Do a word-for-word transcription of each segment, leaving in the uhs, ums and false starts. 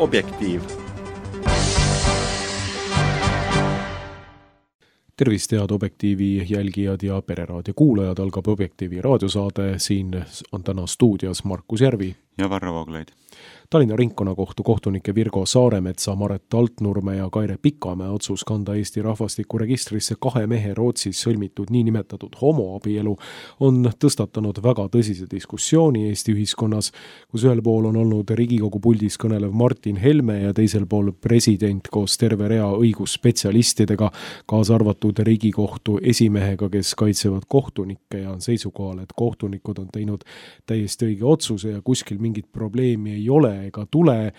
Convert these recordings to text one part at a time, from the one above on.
Objektiiv. Tervist, head Objektiivi jälgijad ja pereraadio kuulajad, algab Objektiivi raadiosaade. Siin on täna stuudios Markus Järvi ja Varro Vooglaid. Tallinna ringkonnakohtu kohtunike Virgo Saaremetsa, Maret Altnurme ja Kaire Pikamäe otsus kanda Eesti rahvastikuregistrisse kahe mehe Rootsis sõlmitud niinimetatud homoabielu on tõstatanud väga tõsise diskussiooni Eesti ühiskonnas, kus ühel pool on olnud Riigikogu puldis kõnelev Martin Helme ja teisel pool president koos terve rea õigusspetsialistidega, kaasa arvatud Riigikohtu esimehega, kes kaitsevad kohtunikke ja on seisukohal, et kohtunikud on teinud täiesti õige otsuse ja kuskil mingit probleemi ei ole ega tule.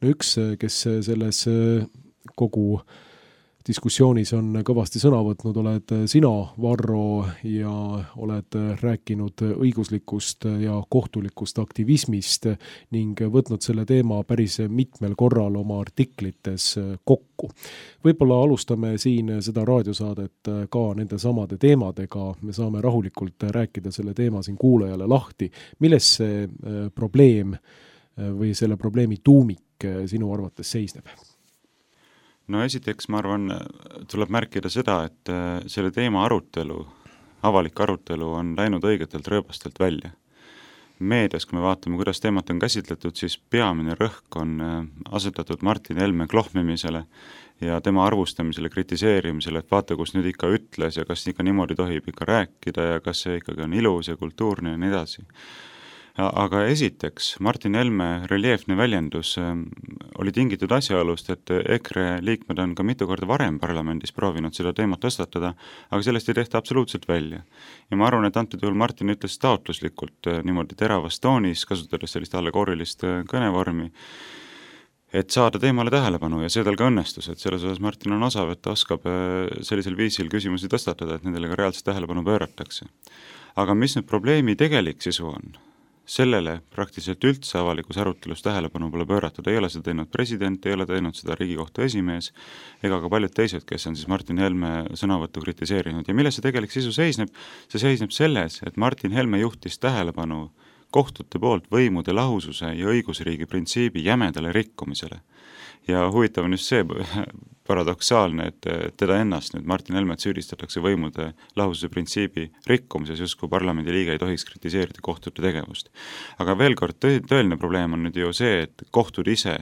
No üks, kes selles kogu diskussioonis on kõvasti sõna võtnud, oled sina, Varro, ja oled rääkinud õiguslikust ja kohtulikust aktivismist ning võtnud selle teema päris mitmel korral oma artiklites kokku. Võib-olla alustame siin seda raadiosaadet ka nende samade teemadega. Me saame rahulikult rääkida selle teema siin kuulajale lahti. Milles see probleem või selle probleemi tuumik sinu arvates seisneb? No esiteks, ma arvan, tuleb märkida seda, et selle teema arutelu, avalik arutelu on läinud õigetelt rööbastelt välja. Meedias, kui me vaatame, kuidas teemat on käsitletud, siis peamine rõhk on asetatud Martin Helme klohmimisele ja tema arvustamisele, kritiseerimisele, et vaata, kus nüüd ikka ütles ja kas ikka niimoodi tohib ikka rääkida ja kas see ikkagi on ilus ja kultuurne ja nii edasi. Aga esiteks, Martin Helme reljeefne väljendus oli tingitud asjaolust, et EKRE liikmed on ka mitu korda varem parlamendis proovinud seda teemat tõstatada, aga sellest ei tehta absoluutselt välja. Ja ma arvan, et antud juhul Martin ütles taotluslikult niimoodi teravas toonis, kasutades sellist allegoorilist kõnevormi, et saada teemale tähelepanu ja see tal ka õnnestus, et selles osas Martin on osav, et ta oskab sellisel viisil küsimusi tõstatada, et nendele ka reaalselt tähelepanu pööratakse. Aga mis nüüd probleemi tegelik sisu on? Sellele praktiliselt üldse avalikus arutelus tähelepanu pole pööratud, ei ole seda teinud president, ei ole teinud seda Riigikohtu esimees ega ka paljud teised, kes on siis Martin Helme sõnavõttu kritiseerinud. Ja milles see tegelik sisu seisneb? See seisneb selles, et Martin Helme juhtis tähelepanu kohtute poolt võimude lahususe ja õigusriigi printsiibi jämedale rikkumisele. Ja huvitav on just see paradoksaalne, et teda ennast nüüd Martin Helmet süüdistatakse võimude lahususe printsiibi rikkumises, just kui parlamendi liige ei tohiks kritiseerida kohtute tegevust. Aga veel kord, tõeline probleem on nüüd ju see, et kohtud ise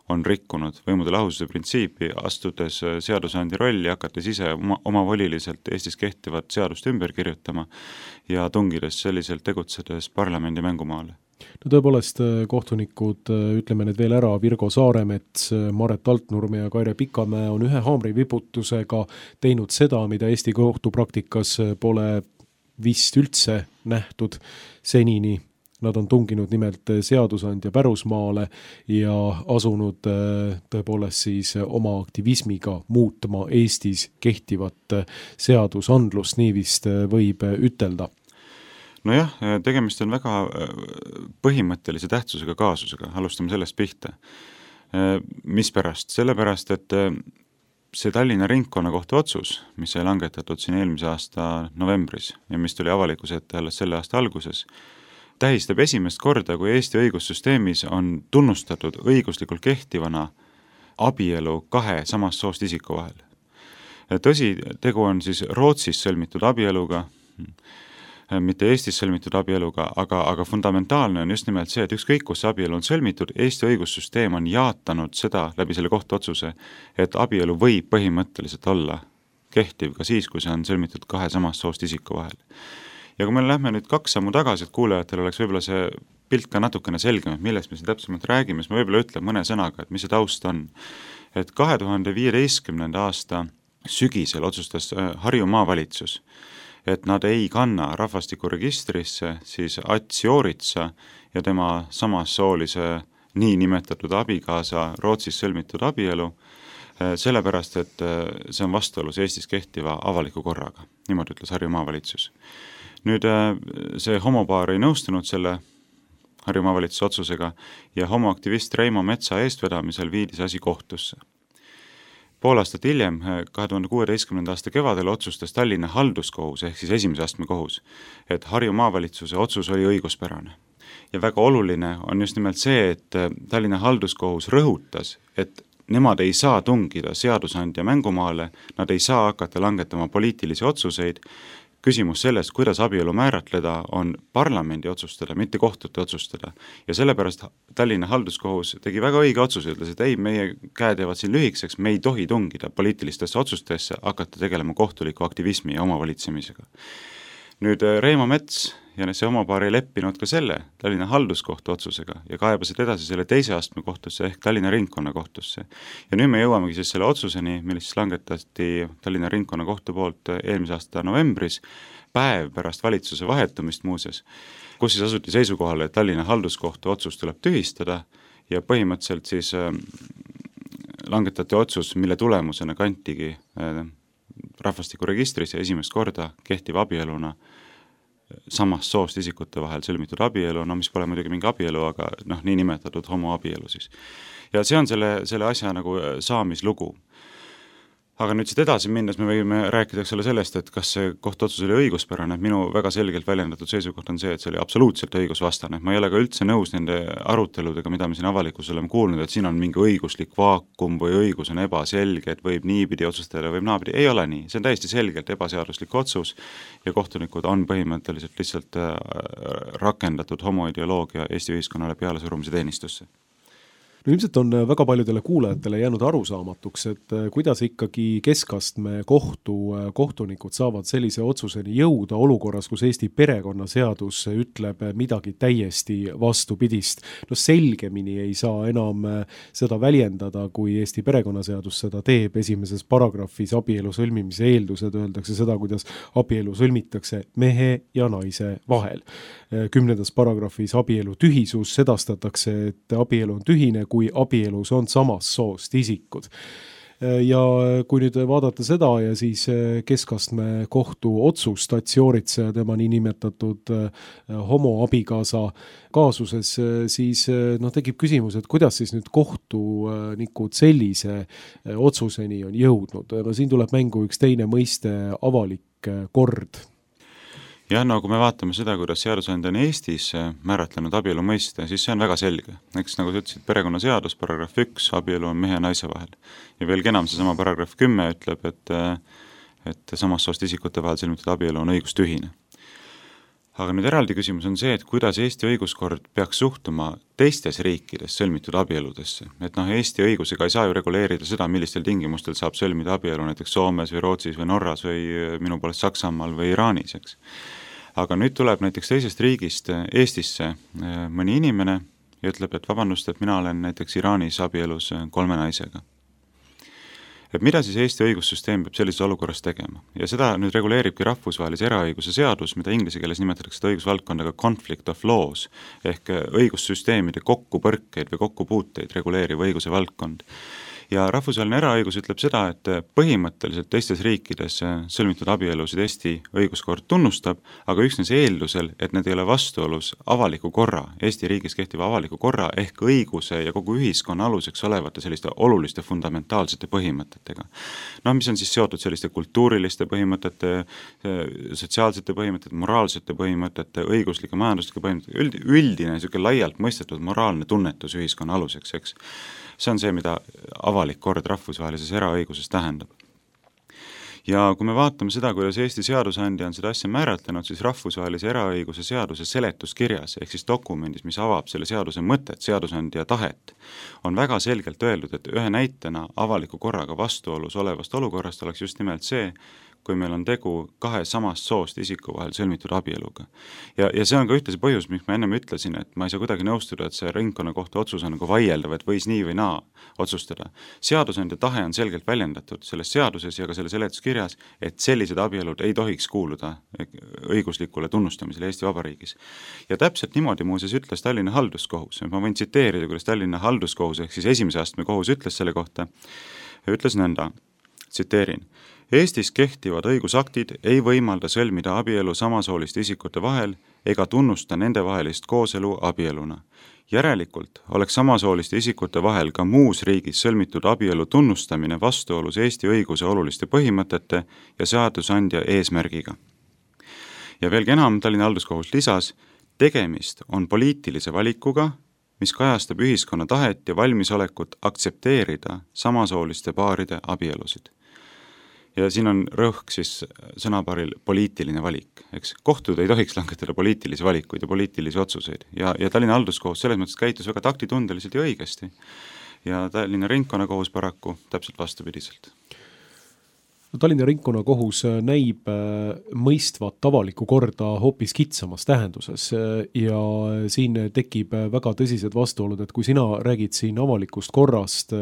on rikkunud võimude lahususe printsiipi, astudes seadusandja rolli, hakates ise oma, omavoliliselt Eestis kehtivat seadust ümber kirjutama ja tungides selliselt tegutsedes parlamendi mängumaale. No tõepoolest kohtunikud, ütleme need veel ära, Virgo Saaremets, Maret Altnurme ja Kaire Pikamäe on ühe haamriviputusega teinud seda, mida Eesti kohtupraktikas pole vist üldse nähtud senini. Nad on tunginud nimelt seadusandja pärusmaale ja asunud tõepoolest siis oma aktivismiga muutma Eestis kehtivat seadusandlust, nii vist võib ütelda. Nojah, tegemist on väga põhimõttelise tähtsusega kaasusega, alustame sellest pihta. Mispärast? Sellepärast, et see Tallinna ringkonnakohtu otsus, mis sai langetatud siin eelmise aasta novembris ja mis tuli avalikkuse ette alles selle aasta alguses, tähistab esimest korda, kui Eesti õigussüsteemis on tunnustatud õiguslikult kehtivana abielu kahe samast soost isiku vahel. Tõsi, tegu on siis Rootsis sõlmitud abieluga, mitte Eestis sõlmitud abieluga, aga, aga fundamentaalne on just nimelt see, et ükskõik kus abielu on sõlmitud, Eesti õigussüsteem on jaatanud seda läbi selle kohtuotsuse, et abielu võib põhimõtteliselt olla kehtiv ka siis, kui see on sõlmitud kahe samast soost isiku vahel. Ja kui me lähme nüüd kaks sammu tagasi, et kuulajatel oleks võib-olla see pilt ka natukene selgem, et millest me siin täpsemalt räägime, siis ma võib-olla ütlen mõne sõnaga, et mis see taust on. Et kahe tuhande viieteistkümnenda aasta sügisel otsustas Harju maavalitsus, et nad ei kanna rahvastikuregistrisse siis Ats Jooritsa ja tema samassoolise nii nimetatud abikaasa Rootsis sõlmitud abielu, sellepärast, et see on vastuolus Eestis kehtiva avaliku korraga. Niimoodi ütles Harju maavalitsus. Nüüd see homopaar ei nõustunud selle Harju maavalitsuse otsusega ja homoaktivist Reimo Metsa eestvedamisel viidis asi kohtusse. Pool aastat hiljem, kahe tuhande kuueteistkümnenda aasta kevadel otsustas Tallinna halduskohus ehk siis esimese astme kohus, et Harju maavalitsuse otsus oli õiguspärane. ja väga oluline on just nimelt see, et Tallinna halduskohus rõhutas, et nemad ei saa tungida seadusandja mängumaale, nad ei saa hakata langetama poliitilisi otsuseid. Küsimus sellest, kuidas abielu määratleda, on parlamendi otsustada, mitte kohtute otsustada. Ja sellepärast Tallinna halduskohus tegi väga õige otsuse, ütles, et ei, meie käed jäävad siin lühikseks, me ei tohi tungida poliitilistesse otsustesse, hakata tegelema kohtuliku aktivismi ja omavalitsemisega. Nüüd Reimo Mets ja see omapaar ei leppinud ka selle Tallinna halduskohtu otsusega ja kaebasid edasi selle teise astme kohtusse ehk Tallinna ringkonna kohtusse. Ja nüüd me jõuamegi siis selle otsuseni, millest langetati Tallinna ringkonna kohtu poolt eelmise aasta novembris, päev pärast valitsuse vahetumist muuses, kus siis asuti seisukohale, et Tallinna halduskohtu otsus tuleb tühistada ja põhimõtteliselt siis langetati otsus, mille tulemusena kantigi rahvastikuregistris ja esimest korda kehtiv abieluna samast soost isikute vahel sõlmitud abielu, no mis pole muidugi mingi abielu, aga noh, nii nimetatud homoabielu siis. Ja see on selle, selle asja nagu saamislugu. Aga nüüd siit edasi minnes me võime rääkida eks ole sellest, et kas see kohtuotsus oli õiguspärane, et minu väga selgelt väljendatud seisukoht on see, et see oli absoluutselt õigusvastane. Ma ei ole ka üldse nõus nende aruteludega, mida me siin avalikkusele oleme kuulnud, et siin on mingi õiguslik vaakum või õigus on ebaselge, et võib niipidi otsustada, võib naapidi. Ei ole nii, see on täiesti selgelt ebaseaduslik otsus ja kohtunikud on põhimõtteliselt lihtsalt rakendatud homoideoloogia Eesti ühiskonnale peale surumise teenistusse. No ilmselt on väga paljudele kuulajatele jäänud arusaamatuks, et kuidas ikkagi keskastme kohtu kohtunikud saavad sellise otsuseni jõuda olukorras, kus Eesti perekonnaseadus ütleb midagi täiesti vastupidist. No selgemini ei saa enam seda väljendada, kui Eesti perekonnaseadus seda teeb. Esimeses paragrahvis abielu sõlmimise eeldused öeldakse seda, kuidas abielu sõlmitakse mehe ja naise vahel. Kümnendas paragrahvis abielu tühisus sedastatakse, et abielu on tühine, kui abielus on samast soost isikud. Ja kui nüüd vaadata seda ja siis keskastme kohtu otsust Tatsioritse ja tema niinimetatud homoabikaasa kaasuses, siis no, tekib küsimus, et kuidas siis nüüd kohtunikud sellise otsuseni on jõudnud. No, siin tuleb mängu üks teine mõiste, avalik kord. Ja no kui me vaatame seda, kuidas seadusandja on Eestis määratlenud abielu mõiste, siis see on väga selge. Eks nagu sa ütlesid, perekonnaseadus, paragrahv üks, abielu on mehe ja naise vahel. Ja veelgi enam, see sama paragrahv kümme ütleb, et, et samast soost isikute vahel sõlmitud abielu on õigustühine. Aga nüüd eraldi küsimus on see, et kuidas Eesti õiguskord peaks suhtuma teistes riikides sõlmitud abieludesse. Et noh, Eesti õigusega ei saa ju reguleerida seda, millistel tingimustel saab sõlmida abielu näiteks Soomes või Rootsis või Norras või minu poolest Saksamaal või Iraanis, eks. Aga nüüd tuleb näiteks teisest riigist Eestisse mõni inimene ja ütleb, et vabandust, et mina olen näiteks Iraanis abielus kolme naisega. Et mida siis Eesti õigussüsteem peab sellises olukorras tegema? Ja seda nüüd reguleeribki rahvusvahelise eraõiguse seadus, mida inglise keeles nimetatakse seda õigusvaldkondaga conflict of laws, ehk õigussüsteemide kokkupõrkeid või kokkupuuteid reguleeriv õiguse valdkond. Ja rahvusvaheline eraõigus ütleb seda, et põhimõtteliselt teistes riikides sõlmitud abielusid Eesti õiguskord tunnustab, aga üksnes eeldusel, et need ei ole vastuolus avaliku korra, Eesti riigis kehtiva avaliku korra ehk õiguse ja kogu ühiskonna aluseks olevate selliste oluliste fundamentaalsete põhimõtetega. No mis on siis seotud selliste kultuuriliste põhimõtete, sotsiaalsete põhimõtete, moraalsete põhimõtete, õiguslike majanduslike põhimõtete, üldine niisugune laialt mõistetud moraalne tunnetus ühiskonna aluseks, eks. See on see, mida avalik kord rahvusvahelises eraõiguses tähendab. Ja kui me vaatame seda, kuidas Eesti seadusandja on seda asja määratlenud, siis rahvusvahelise eraõiguse seaduse seletuskirjas, ehk siis dokumendis, mis avab selle seaduse mõtet, seadusandja tahet, on väga selgelt öeldud, et ühe näitena avaliku korraga vastuolus olevast olukorrast oleks just nimelt see, kui meil on tegu kahe samast soost isiku vahel sõlmitud abieluga. Ja, ja see on ka ühtlasi põhjus, miks ma ennem ütlesin, et ma ei saa kuidagi nõustuda, et see ringkonnakohtu otsus on nagu vaieldav, et võis nii või naa otsustada. Seadusandja tahe on selgelt väljendatud selles seaduses ja ka selle seletuskirjas, et sellised abielud ei tohiks kuuluda õiguslikule tunnustamisele Eesti Vabariigis. Ja täpselt niimoodi muuseas ütles Tallinna halduskohus. Ma võin tsiteerida, kuidas Tallinna halduskohus ehk siis esimese astme kohus ütles selle kohta, ütles nõnda, tsiteerin, Eestis kehtivad õigusaktid ei võimalda sõlmida abielu samasooliste isikute vahel ega tunnusta nende vahelist kooselu abieluna. Järelikult oleks samasooliste isikute vahel ka muus riigis sõlmitud abielu tunnustamine vastuolus Eesti õiguse oluliste põhimõtete ja seadusandja eesmärgiga. Ja veelgi enam Tallinna halduskohus lisas, tegemist on poliitilise valikuga, mis kajastab ühiskonna tahet ja valmisolekut aktsepteerida samasooliste paaride abielusid. Ja siin on rõhk siis sõnapaaril poliitiline valik, eks. Kohtud ei tohiks langetada poliitilisi valikuid ja poliitilisi otsuseid ja, ja Tallinna halduskohus selles mõttes käitus väga taktitundeliselt ja õigesti. Ja Tallinna ringkonnakohus paraku täpselt vastupidiselt. Tallinna ringkonnakohus näib mõistvat avalikku korda hoopis kitsamas tähenduses ja siin tekib väga tõsised vastuolud, et kui sina räägid siin avalikust korrast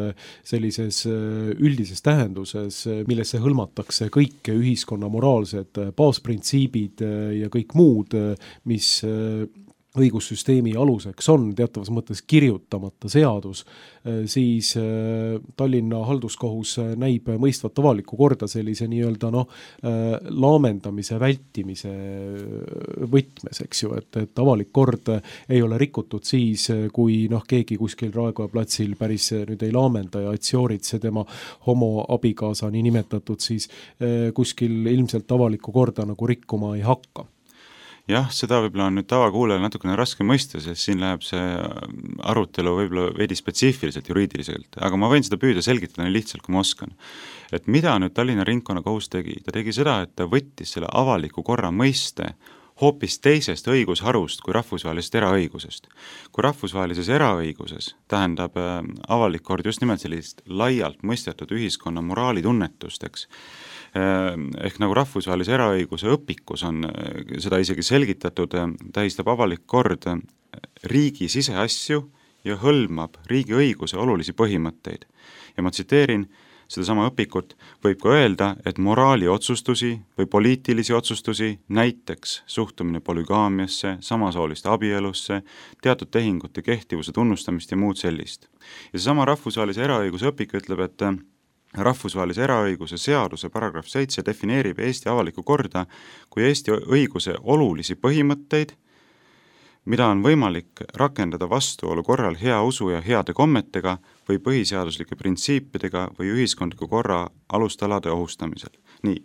sellises üldises tähenduses, millesse hõlmatakse kõik ühiskonna moraalsed baasprintsiibid ja kõik muud, mis õigussüsteemi aluseks on teatavas mõttes kirjutamata seadus, siis Tallinna halduskohus näib mõistvat avalikku korda sellise nii-öelda noh, laamendamise, vältimise võtmes, eks ju, et, et avalik kord ei ole rikutud siis, kui noh, keegi kuskil Raekoja platsil päris nüüd ei laamenda ja Atsioritse tema homo abikaasa nii nimetatud, siis kuskil ilmselt avalikku korda nagu rikkuma ei hakka. Jah, seda võib-olla on nüüd tavakuulajal natukene raske mõista, sest siin läheb see arutelu võib-olla veidi spetsiifiliselt juriidiliselt, aga ma võin seda püüda selgitada nii lihtsalt, kui ma oskan. Et mida nüüd Tallinna ringkonnakohus tegi? Ta tegi seda, et ta võttis selle avaliku korra mõiste hoopis teisest õigusharust kui rahvusvahelisest eraõigusest. Kui rahvusvahelises eraõiguses tähendab avalik kord just nimelt sellist laialt mõistetud ühiskonna moraalitunnetust, eks, ehk nagu rahvusvahelise eraõiguse õpikus on seda isegi selgitatud, tähistab avalik kord riigi siseasju ja hõlmab riigi õiguse olulisi põhimõtteid. Ja ma tsiteerin sedasama õpikut, võib ka öelda, et moraali otsustusi või poliitilisi otsustusi, näiteks suhtumine polügaamiasse, samasooliste abielusse, teatud tehingute kehtivuse tunnustamist ja muud sellist. Ja seesama rahvusvahelise eraõiguse õpik ütleb, et rahvusvahelise eraõiguse seaduse paragrahv seitse defineerib Eesti avalikku korda kui Eesti õiguse olulisi põhimõtteid, mida on võimalik rakendada vastuolu korral hea usu ja heade kommetega või põhiseaduslike printsiipidega või ühiskondliku korra alustalade ohustamisel. Nii.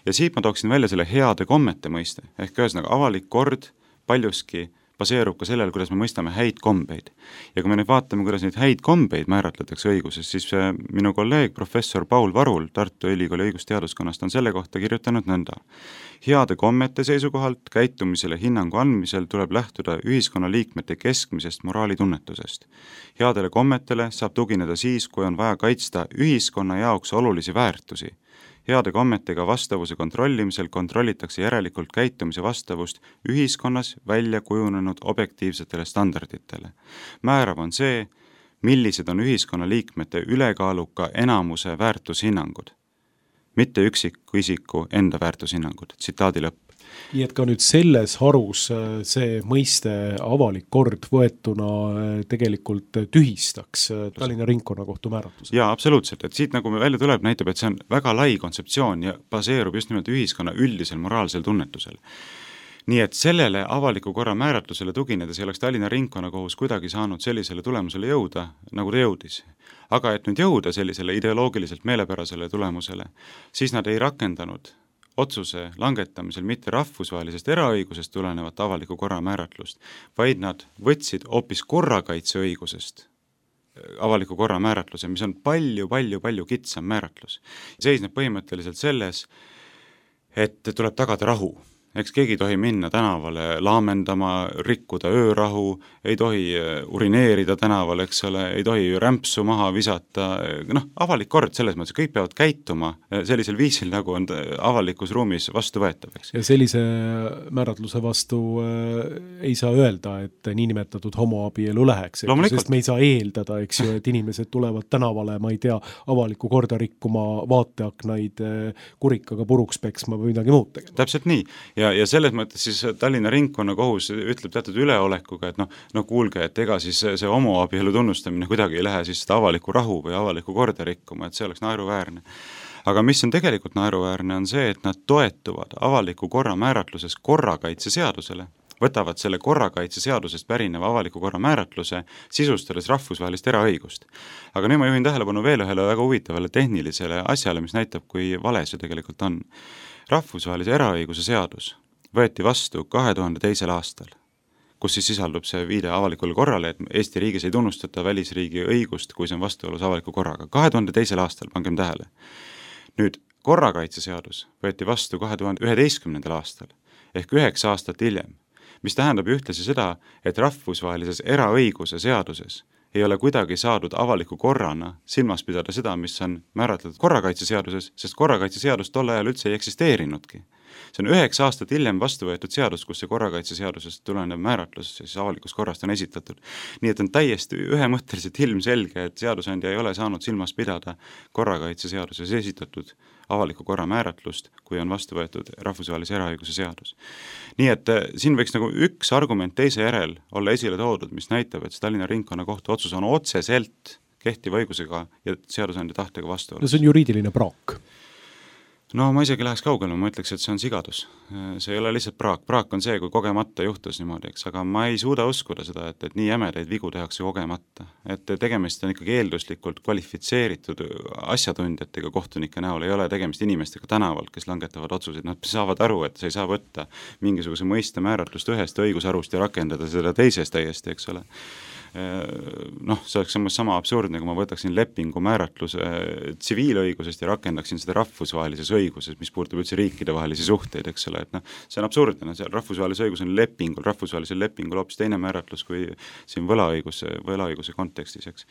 Ja siit ma tooksin välja selle heade kommete mõiste, ehk ühesõnaga avalik kord paljuski baseerub ka sellel, kuidas me mõistame häid kombeid. Ja kui me nüüd vaatame, kuidas neid häid kombeid määratletakse õiguses, siis minu kolleeg professor Paul Varul Tartu Ülikooli õigusteaduskonnast on selle kohta kirjutanud nõnda. Heade kommete seisukohalt käitumisele hinnangu andmisel tuleb lähtuda ühiskonna liikmete keskmisest moraalitunnetusest. Headele kommetele saab tugineda siis, kui on vaja kaitsta ühiskonna jaoks olulisi väärtusi. Heade kommetega vastavuse kontrollimisel kontrollitakse järelikult käitumise vastavust ühiskonnas välja kujunenud objektiivsetele standarditele. Määrav on see, millised on ühiskonna liikmete ülekaaluka enamuse väärtushinnangud, mitte üksiku isiku enda väärtushinnangud. Tsitaadi lõpp. Nii et ka nüüd selles harus see mõiste avalik kord võetuna tegelikult tühistaks Tallinna ringkonnakohtu määratluse. Jaa, absoluutselt, et siit nagu me välja tuleb, näitab, et see on väga lai kontseptsioon ja baseerub just nimelt ühiskonna üldisel moraalsel tunnetusel. Nii et sellele avaliku korra määratlusele tuginedes ei oleks Tallinna ringkonnakohus kuidagi saanud sellisele tulemusele jõuda, nagu ta jõudis. Aga et nüüd jõuda sellisele ideoloogiliselt meelepärasele tulemusele, siis nad ei rakendanud otsuse langetamisel mitte rahvusvahelisest eraõigusest tulenevat avaliku korra määratlust, vaid nad võtsid hoopis korrakaitseõigusest avaliku korra määratluse, mis on palju, palju, palju kitsam määratlus. Seisneb põhimõtteliselt selles, et tuleb tagada rahu. Eks keegi ei tohi minna tänavale laamendama, rikkuda öörahu, ei tohi urineerida tänaval, eks ole, ei tohi rämpsu maha visata, noh, avalik kord selles mõttes, kõik peavad käituma sellisel viisil, nagu on avalikus ruumis vastu võetav, eks. Ja sellise määratluse vastu äh, ei saa öelda, et niinimetatud homoabielu läheks, sest me ei saa eeldada, eks ju, et inimesed tulevad tänavale, ma ei tea, avaliku korda rikkuma, vaateaknaid kurikaga puruks peksma või midagi muud tegema. Täpselt nii. Ja Ja, ja selles mõttes siis Tallinna ringkonnakohus ütleb teatud üleolekuga, et noh, no kuulge, et ega siis see homoabielu tunnustamine kuidagi ei lähe siis seda avaliku rahu või avaliku korda rikkuma, et see oleks naeruväärne. Aga mis on tegelikult naeruväärne, on see, et nad toetuvad avaliku korra määratluses korrakaitseseadusele, võtavad selle korrakaitseseadusest pärineva avaliku korra määratluse, sisustades rahvusvahelist eraõigust. Aga nüüd ma juhin tähelepanu veel ühele väga huvitavale tehnilisele asjale, mis näitab, kui vale see tegelikult on. Rahvusvahelise eraõiguse seadus võeti vastu kahe tuhande teisel aastal. kus siis sisaldub see viide avalikule korrale, et Eesti riigis ei tunnustata välisriigi õigust, kui see on vastuolus avaliku korraga. kahe tuhande teisel aastal, pangem tähele. Nüüd, korrakaitseseadus võeti vastu kahe tuhande üheteistkümnendal aastal ehk üheksa aastat hiljem, mis tähendab ühtlasi seda, et rahvusvahelises eraõiguse seaduses ei ole kuidagi saadud avaliku korrana silmas pidada seda, mis on määratletud korrakaitseseaduses, sest korrakaitseseadus tol ajal üldse ei eksisteerinudki. See on üheksa aastat hiljem vastu võetud seadus, kus see korrakaitseseadusest tulenev määratlus siis avalikust korrast on esitatud. Nii et on täiesti ühemõtteliselt ilmselge, et seadusandja ei ole saanud silmas pidada korrakaitseseaduses esitatud avaliku korra määratlust, kui on vastu võetud rahvusvahelise eraõiguse seadus. Nii et siin võiks nagu üks argument teise järel olla esile toodud, mis näitab, et Tallinna ringkonnakohtu otsus on otseselt kehtiva õigusega ja seadusandja tahtega vastuolus. No see on juriidiline praak. No ma isegi läheks kaugele, ma ütleks, et see on sigadus. See ei ole lihtsalt praak. Praak on see, kui kogemata juhtus niimoodi, eks, aga ma ei suuda uskuda seda, et, et nii jämedaid vigu tehakse kogemata. Et tegemist on ikkagi eelduslikult kvalifitseeritud asjatundjatega kohtunike näol, ei ole tegemist inimestega tänavalt, kes langetavad otsuseid. Nad saavad aru, et sa ei saa võtta mingisuguse mõiste määratlust ühest õigusarust ja rakendada seda teisest täiesti, eks ole. Noh, see oleks samas sama absurdne, kui ma võtaksin lepingu määratluse tsiviilõigusest ja rakendaksin seda rahvusvahelises õiguses, mis puudutab üldse riikide vahelisi suhteid, eks ole, et noh, see on absurdne, seal rahvusvahelise õigus on lepingul, rahvusvahelisel lepingul hoopis teine määratlus kui siin võlaõiguse, võlaõiguse kontekstis, eks.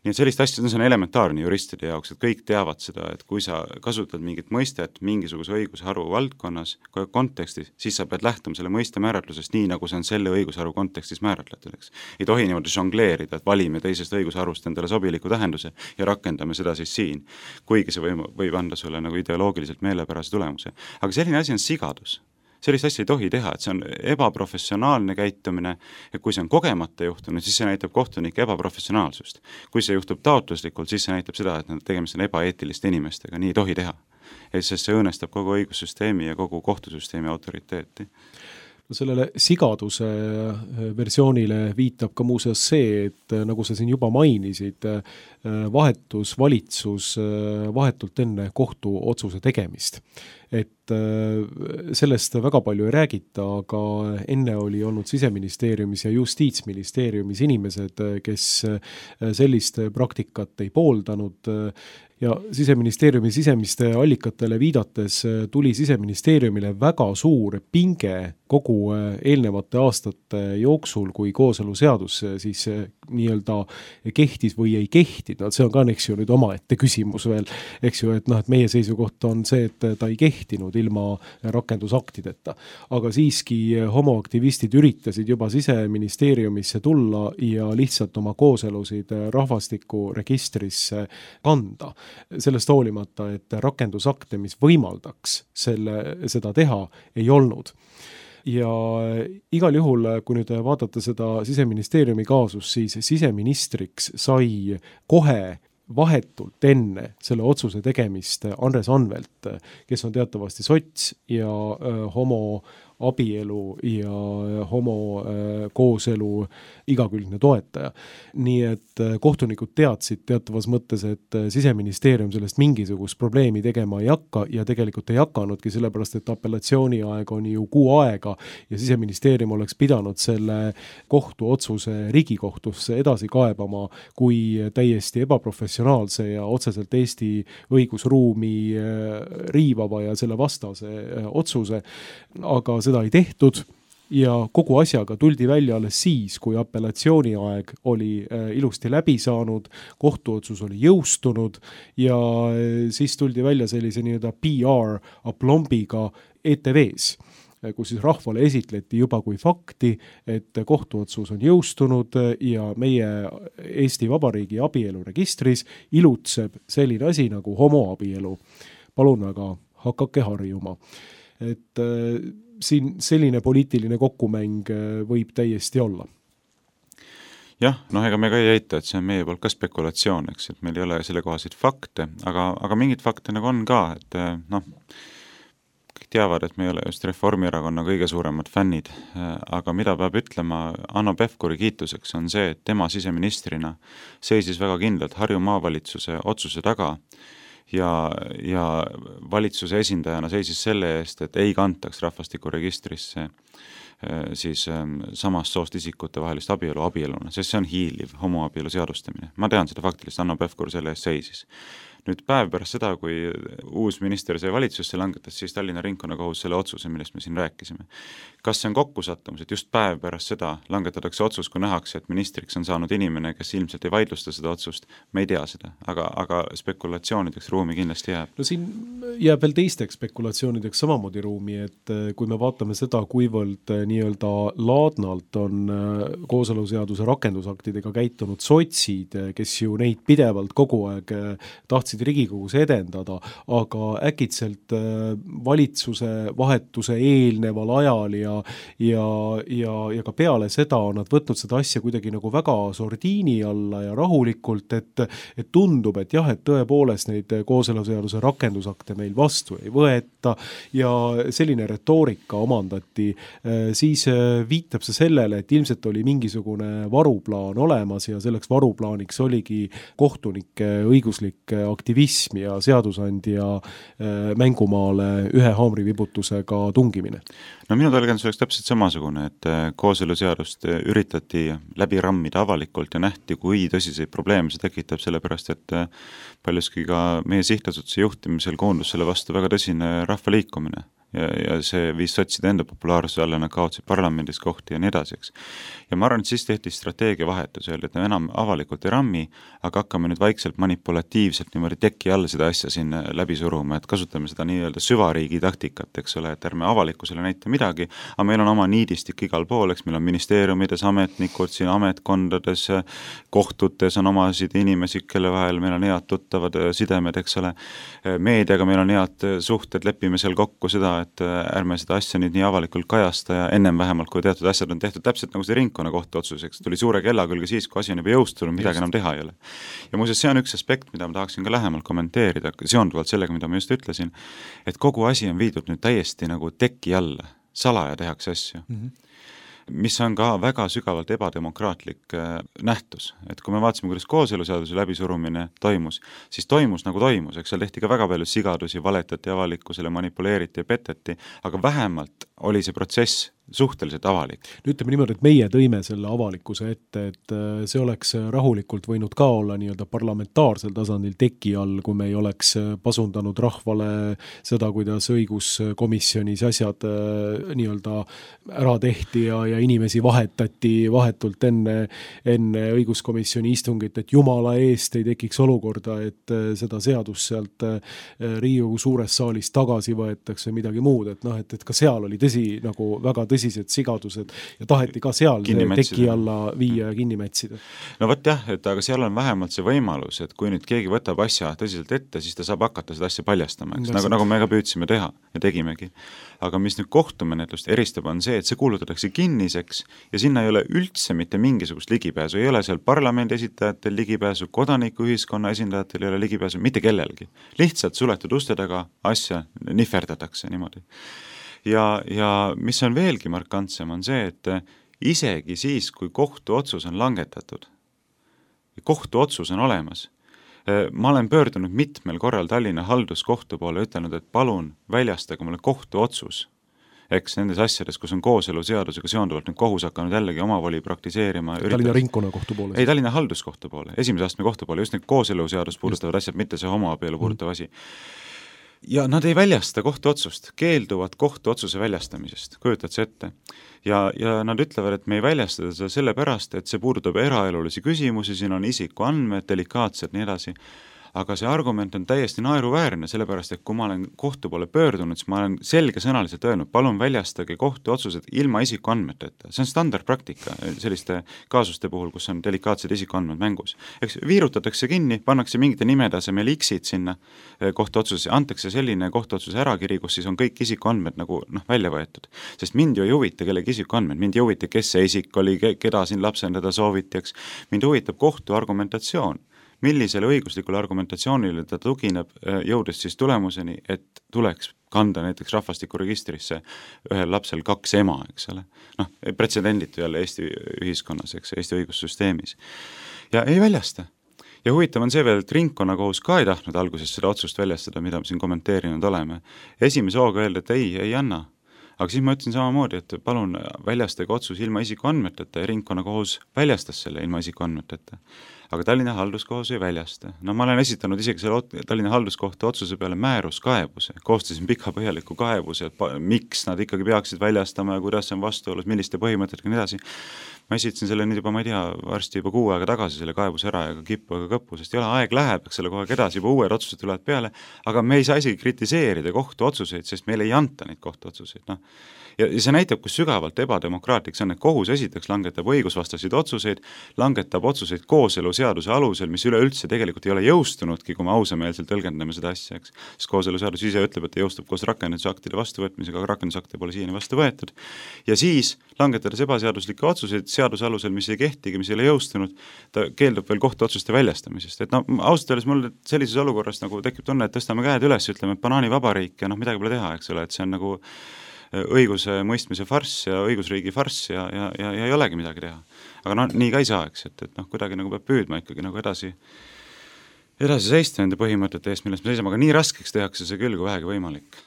Nii et sellist asja, see on elementaarne juristide jaoks, et kõik teavad seda, et kui sa kasutad mingit mõistet mingisuguse õigusharu valdkonnas kontekstis, siis sa pead lähtuma selle mõiste määratlusest nii, nagu see on selle õigusharu kontekstis määratletud, eks. Ei tohi niimoodi žongleerida, et valime teisest õigusharust endale sobiliku tähenduse ja rakendame seda siis siin, kuigi see võib, võib anda sulle nagu ideoloogiliselt meelepärase tulemuse. Aga selline asi on sigadus. Sellist asja ei tohi teha, et see on ebaprofessionaalne käitumine ja kui see on kogemata juhtunud, siis see näitab kohtunike ebaprofessionaalsust. Kui see juhtub taotluslikult, siis see näitab seda, et nad tegemist on ebaeetiliste inimestega, nii ei tohi teha. Sest see õõnestab kogu õigussüsteemi ja kogu kohtusüsteemi autoriteeti. No sellele sigaduse versioonile viitab ka muuseas see, et nagu sa siin juba mainisid, vahetus valitsus vahetult enne kohtu otsuse tegemist. Et sellest väga palju ei räägita, aga enne oli olnud Siseministeeriumis ja Justiitsministeeriumis inimesed, kes sellist praktikat ei pooldanud ja Siseministeeriumi sisemiste allikatele viidates tuli Siseministeeriumile väga suur pinge kogu eelnevate aastate jooksul, kui kooseluseadus siis nii-öelda kehtis või ei kehtinud. See on ka, eks ju, nüüd omaette küsimus veel, eks ju, et noh, et meie seisukoht on see, et ta ei kehtinud ilma rakendusaktideta. Aga siiski homoaktivistid üritasid juba Siseministeeriumisse tulla ja lihtsalt oma kooselusid rahvastikuregistrisse kanda. Sellest hoolimata, et rakendusakte, mis võimaldaks selle, seda teha, ei olnud. Ja igal juhul, kui nüüd vaadata seda Siseministeeriumi kaasus, siis siseministriks sai kohe vahetult enne selle otsuse tegemist Andres Anvelt, kes on teatavasti sots ja homo abielu ja homo kooselu igakülgne toetaja. Nii et kohtunikud teadsid teatavas mõttes, et Siseministeerium sellest mingisugust probleemi tegema ei hakka ja tegelikult ei hakanudki, sellepärast et apellatsiooni aeg on ju kuu aega ja Siseministeerium oleks pidanud selle kohtuotsuse Riigikohtusse edasi kaebama kui täiesti ebaprofessionaalse ja otseselt Eesti õigusruumi riivava ja selle vastase otsuse, aga seda ei tehtud ja kogu asjaga tuldi välja alles siis, kui apellatsiooni aeg oli ilusti läbi saanud, kohtuotsus oli jõustunud ja siis tuldi välja sellise nii-öelda P R aplombiga E T V-s, kus siis rahvale esitleti juba kui fakti, et kohtuotsus on jõustunud ja meie Eesti Vabariigi abieluregistris ilutseb selline asi nagu homoabielu. Palun väga, hakake harjuma. Et siin selline poliitiline kokkumäng võib täiesti olla. Jah, noh, ega me ka ei eita, et see on meie poolt ka spekulatsioon, eks, et meil ei ole selle kohaseid fakte, aga, aga mingid fakte nagu on ka, et noh, kõik teavad, et me ei ole just Reformierakonna kõige suuremad fännid, aga mida peab ütlema Hanno Pevkuri kiituseks on see, et tema siseministrina seisis väga kindlalt Harju maavalitsuse otsuse taga ja, ja valitsuse esindajana seisis selle eest, et ei kantaks rahvastikuregistrisse siis samast soost isikute vahelist abielu abieluna, sest see on hiiliv homoabielu seadustamine. Ma tean seda faktiliselt, Hanno Pevkur selle eest seisis. Nüüd päev pärast seda, kui uus minister sai valitsusse langetas, siis Tallinna ringkonnakohus selle otsuse, millest me siin rääkisime. Kas see on kokkusattumus, et just päev pärast seda langetatakse otsus, kui nähakse, et ministriks on saanud inimene, kes ilmselt ei vaidlusta seda otsust, me ei tea seda, aga, aga spekulatsioonideks ruumi kindlasti jääb. No siin jääb veel teisteks spekulatsioonideks samamoodi ruumi, et kui me vaatame seda, kuivõrd nii-öelda laadnalt on kooseluseaduse rakendusaktidega käitunud sotsid, kes ju neid pidevalt kogu aeg tahtsid Riigikogus edendada, aga äkitselt valitsuse vahetuse eelneval ajal ja, ja, ja, ja ka peale seda on nad võtnud seda asja kuidagi nagu väga sordiini alla ja rahulikult, et, et tundub, et jah, et tõepoolest neid kooseluseaduse rakendusakte meil vastu ei võeta ja selline retoorika omandati, siis viitab see sellele, et ilmselt oli mingisugune varuplaan olemas ja selleks varuplaaniks oligi kohtunike õiguslik aktivism ja seadusandja mängumaale ühe haamrivibutusega tungimine. No minu tõlgendus oleks täpselt samasugune, et kooseluseadust üritati läbi rammida avalikult ja nähti, kui tõsiseid probleeme see tekitab, sellepärast et paljuski ka meie sihtasutuse juhtimisel koondus selle vastu väga tõsine rahvaliikumine. Ja, ja see viis sotside enda populaarsuse alla, nad kaotsid parlamendis kohti ja nii edaseks. Ja ma arvan, et siis tehti strateegia vahetus, öeldi, et me enam avalikult ei rammi, aga hakkame nüüd vaikselt manipulatiivselt niimoodi teki all seda asja siin läbi suruma, et kasutame seda nii-öelda süvariigi taktikat, eks ole, et ärme avalikkusele näita midagi, aga meil on oma niidistik igal pool, eks meil on ministeeriumides, ametnikud, siin ametkondades, kohtutes on omasid inimesi, kelle vahel meil on head tuttavad sidemed, eks ole, meediaga meil on head suhted, lepime seal kokku seda, et ärme seda asja nüüd nii avalikult kajasta ja ennem vähemalt, kui teatud asjad on tehtud täpselt nagu see ringkonna kohtu otsuseks, tuli suure kella külge siis, kui asi on juba jõustunud, midagi enam teha ei ole. Ja muuseas, see on üks aspekt, mida ma tahaksin ka lähemalt kommenteerida, seonduvalt sellega, mida ma just ütlesin, et kogu asi on viidud nüüd täiesti nagu teki alla, salaja tehakse asju. Mm-hmm. mis on ka väga sügavalt ebademokraatlik nähtus. Et kui me vaatasime, kuidas kooseluseaduse läbisurumine toimus, siis toimus nagu toimus, eks seal tehti ka väga palju sigadusi, valetati avalikkusele, manipuleeriti ja peteti, aga vähemalt oli see protsess suhteliselt avalik. Nüüd ütleme niimoodi, et meie tõime selle avalikkuse ette, et see oleks rahulikult võinud ka olla nii-öelda parlamentaarsel tasandil teki all, kui me ei oleks pasundanud rahvale seda, kuidas õiguskomisjonis asjad nii-öelda ära tehti ja, ja inimesi vahetati vahetult enne, enne õiguskomisjoni istungit, et jumala eest ei tekiks olukorda, et seda seadust sealt Riigikogu suures saalis tagasi võetakse midagi muud, et noh, et, et ka seal oli tõsi, nagu väga tõsi tõsised sigadused ja taheti ka seal teki alla viia ja kinni mätsida. No võt jah, et aga seal on vähemalt see võimalus, et kui nüüd keegi võtab asja tõsiselt ette, siis ta saab hakata seda asja paljastama, eks, nagu, nagu me ka püüdsime teha ja tegimegi. Aga mis nüüd kohtumenetlust eristab, on see, et see kuulutatakse kinniseks ja sinna ei ole üldse mitte mingisugust ligipääsu, ei ole seal parlamendi esitajatel ligipääsu, kodanikuühiskonna esindajatel ei ole ligipääsu, mitte kellelgi. Lihtsalt suletud uste taga asja nihverdatakse niimoodi. Ja, ja mis on veelgi markantsem, on see, et isegi siis, kui kohtuotsus on langetatud, kohtuotsus on olemas, ma olen pöördunud mitmel korral Tallinna halduskohtu poole ütelnud, et palun väljastage mulle kohtuotsus, eks nendes asjades, kus on kooseluseadusega seonduvalt nüüd kohus hakanud jällegi oma voli praktiseerima. Tallinna ringkonna kohtu poole? Ei, Tallinna halduskohtu poole, esimese astme kohtu poole, just need kooseluseadus puudutavad asjad, mitte see homoabielu puudutav asi. Ja nad ei väljasta kohtuotsust, keelduvad kohtuotsuse väljastamisest, kujutad see ette. Ja, ja nad ütlevad, et me ei väljasta seda sellepärast, et see puudutab eraelulisi küsimusi, siin on isiku andmed, delikaatsed, nii edasi. Aga see argument on täiesti naeruväärne, sellepärast, et kui ma olen kohtu poole pöördunud, siis ma olen selgesõnaliselt öelnud, palun väljastage kohtuotsused ilma isiku andmeteta. See on standardpraktika selliste kaasuste puhul, kus on delikaatsed isiku andmed mängus. Eks viirutatakse kinni, pannakse mingite nimede asemel X-id sinna kohtuotsuses, antakse selline kohtuotsuse ärakiri, kus siis on kõik isiku andmed nagu noh, välja võetud. Sest mind ju ei huvita kellegi isiku andmed, mind ei huvita, kes see isik oli, keda siin lapsendada sooviti, eks. Mind huvitab kohtu argumentatsioon. Millisele õiguslikule argumentatsioonile ta tugineb, jõudes siis tulemuseni, et tuleks kanda näiteks rahvastikuregistrisse ühel lapsel kaks ema, eks ole. Noh, pretsedenditu jälle Eesti ühiskonnas, eks, Eesti õigussüsteemis. Ja ei väljasta. Ja huvitav on see veel, et ringkonnakohus ka ei tahtnud alguses seda otsust väljastada, mida me siin kommenteerinud oleme. Esimese hooga öelda, et ei, ei anna. Aga siis ma ütlesin samamoodi, et palun väljastage otsus ilma isikuandmeteta ja ringkonnakohus väljastas selle ilma isikuandmeteta. Aga Tallinna halduskohus ei väljasta. No ma olen esitanud isegi selle Tallinna halduskohtu otsuse peale määruskaebuse, koostasin pika põhjaliku kaebuse, et miks nad ikkagi peaksid väljastama ja kuidas see on vastuolus, milliste põhimõtetega nii edasi. Ma esitasin selle nüüd juba, ma ei tea, varsti juba kuu aega tagasi selle kaebuse ära ja ka kippu ega kõppu, sest ei ole aeg läheb, eks selle kogu aeg edasi, juba uued otsused tulevad peale, aga me ei saa isegi kritiseerida kohtu otsuseid, sest meile ei anta neid kohtu otsuseid. No. Ja see näitab, kus sügavalt ebademokraatlik see on, et kohus esiteks langetab õigusvastaseid otsuseid, langetab otsuseid kooseluseaduse alusel, mis üleüldse tegelikult ei ole jõustunudki, kui me ausameelselt tõlgendame seda asja, eks. Sest kooseluseadus ise ütleb, et jõustub koos rakendusaktide vastuvõtmisega, aga rakendusakte pole siiani vastu võetud. Ja siis langetades ebaseaduslikke otsuseid seaduse alusel, mis ei kehtigi, mis ei ole jõustunud, ta keeldub veel kohtuotsuste väljastamisest. Et no, ausalt öeldes mul sellises olukorras nagu tekib tunne, et tõstame käed üles, ütleme, et banaanivabariik ja noh, midagi pole teha, eks ole, et see on nagu õiguse mõistmise farss ja õigusriigi farss ja, ja, ja, ja ei olegi midagi teha. Aga noh, nii ka ei saa, eks, et, et noh, kuidagi nagu peab püüdma ikkagi nagu edasi, edasi seista nende põhimõtete eest, millest me seisame, aga nii raskeks tehakse see küll, kui vähegi võimalik.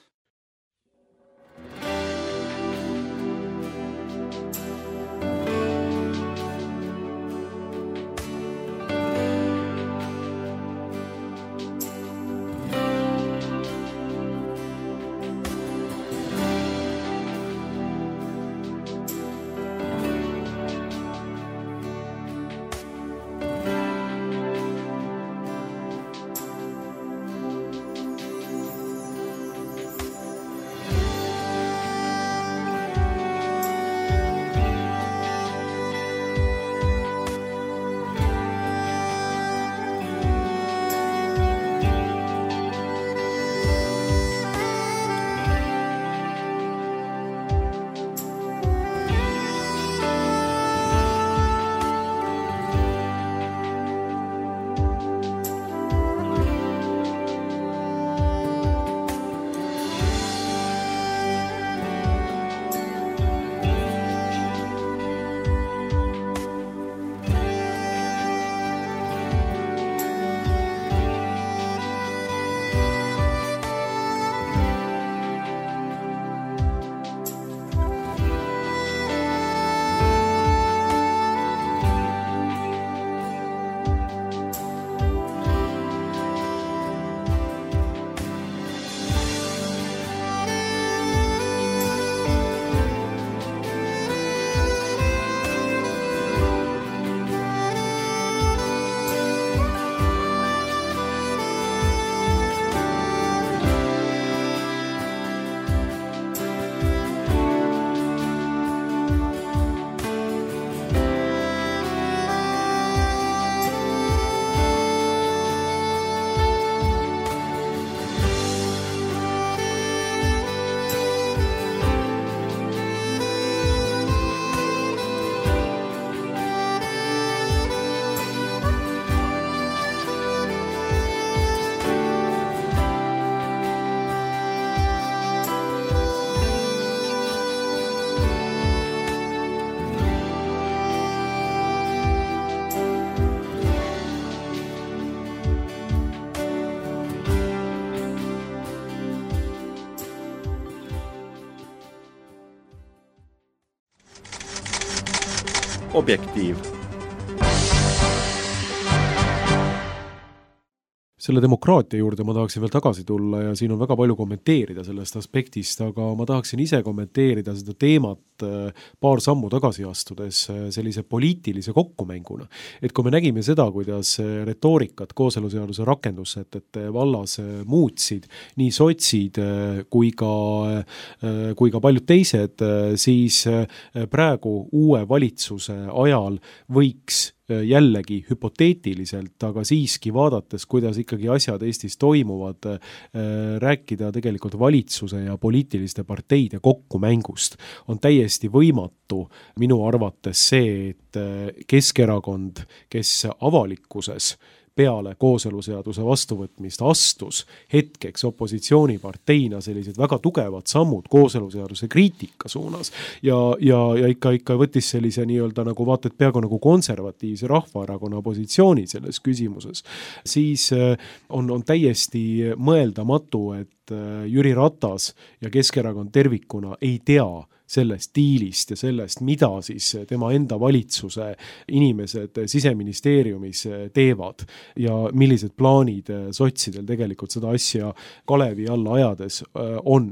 Objektiiv. Selle demokraatia juurde ma tahaksin veel tagasi tulla ja siin on väga palju kommenteerida sellest aspektist, aga ma tahaksin ise kommenteerida seda teemat paar sammu tagasi astudes sellise poliitilise kokkumänguna. Et kui me nägime seda, kuidas retoorikat kooseluseaduse rakendussätete vallas muutsid nii sotsid kui ka, kui ka paljud teised, siis praegu uue valitsuse ajal võiks jällegi hüpoteetiliselt, aga siiski vaadates, kuidas ikkagi asjad Eestis toimuvad, rääkida tegelikult valitsuse ja poliitiliste parteide kokkumängust. On täiesti võimatu minu arvates see, et Keskerakond, kes avalikkuses peale kooseluseaduse vastuvõtmist astus hetkeks opositsiooniparteina sellised väga tugevad sammud kooseluseaduse kriitika suunas ja, ja, ja ikka, ikka võttis sellise nii-öelda nagu vaata, et peaaegu nagu konservatiivse Rahvaerakonna positsiooni selles küsimuses, siis on, on täiesti mõeldamatu, et Jüri Ratas ja Keskerakond tervikuna ei tea sellest diilist ja sellest, mida siis tema enda valitsuse inimesed Siseministeeriumis teevad ja millised plaanid sotsidel tegelikult seda asja Kalevi alla ajades on.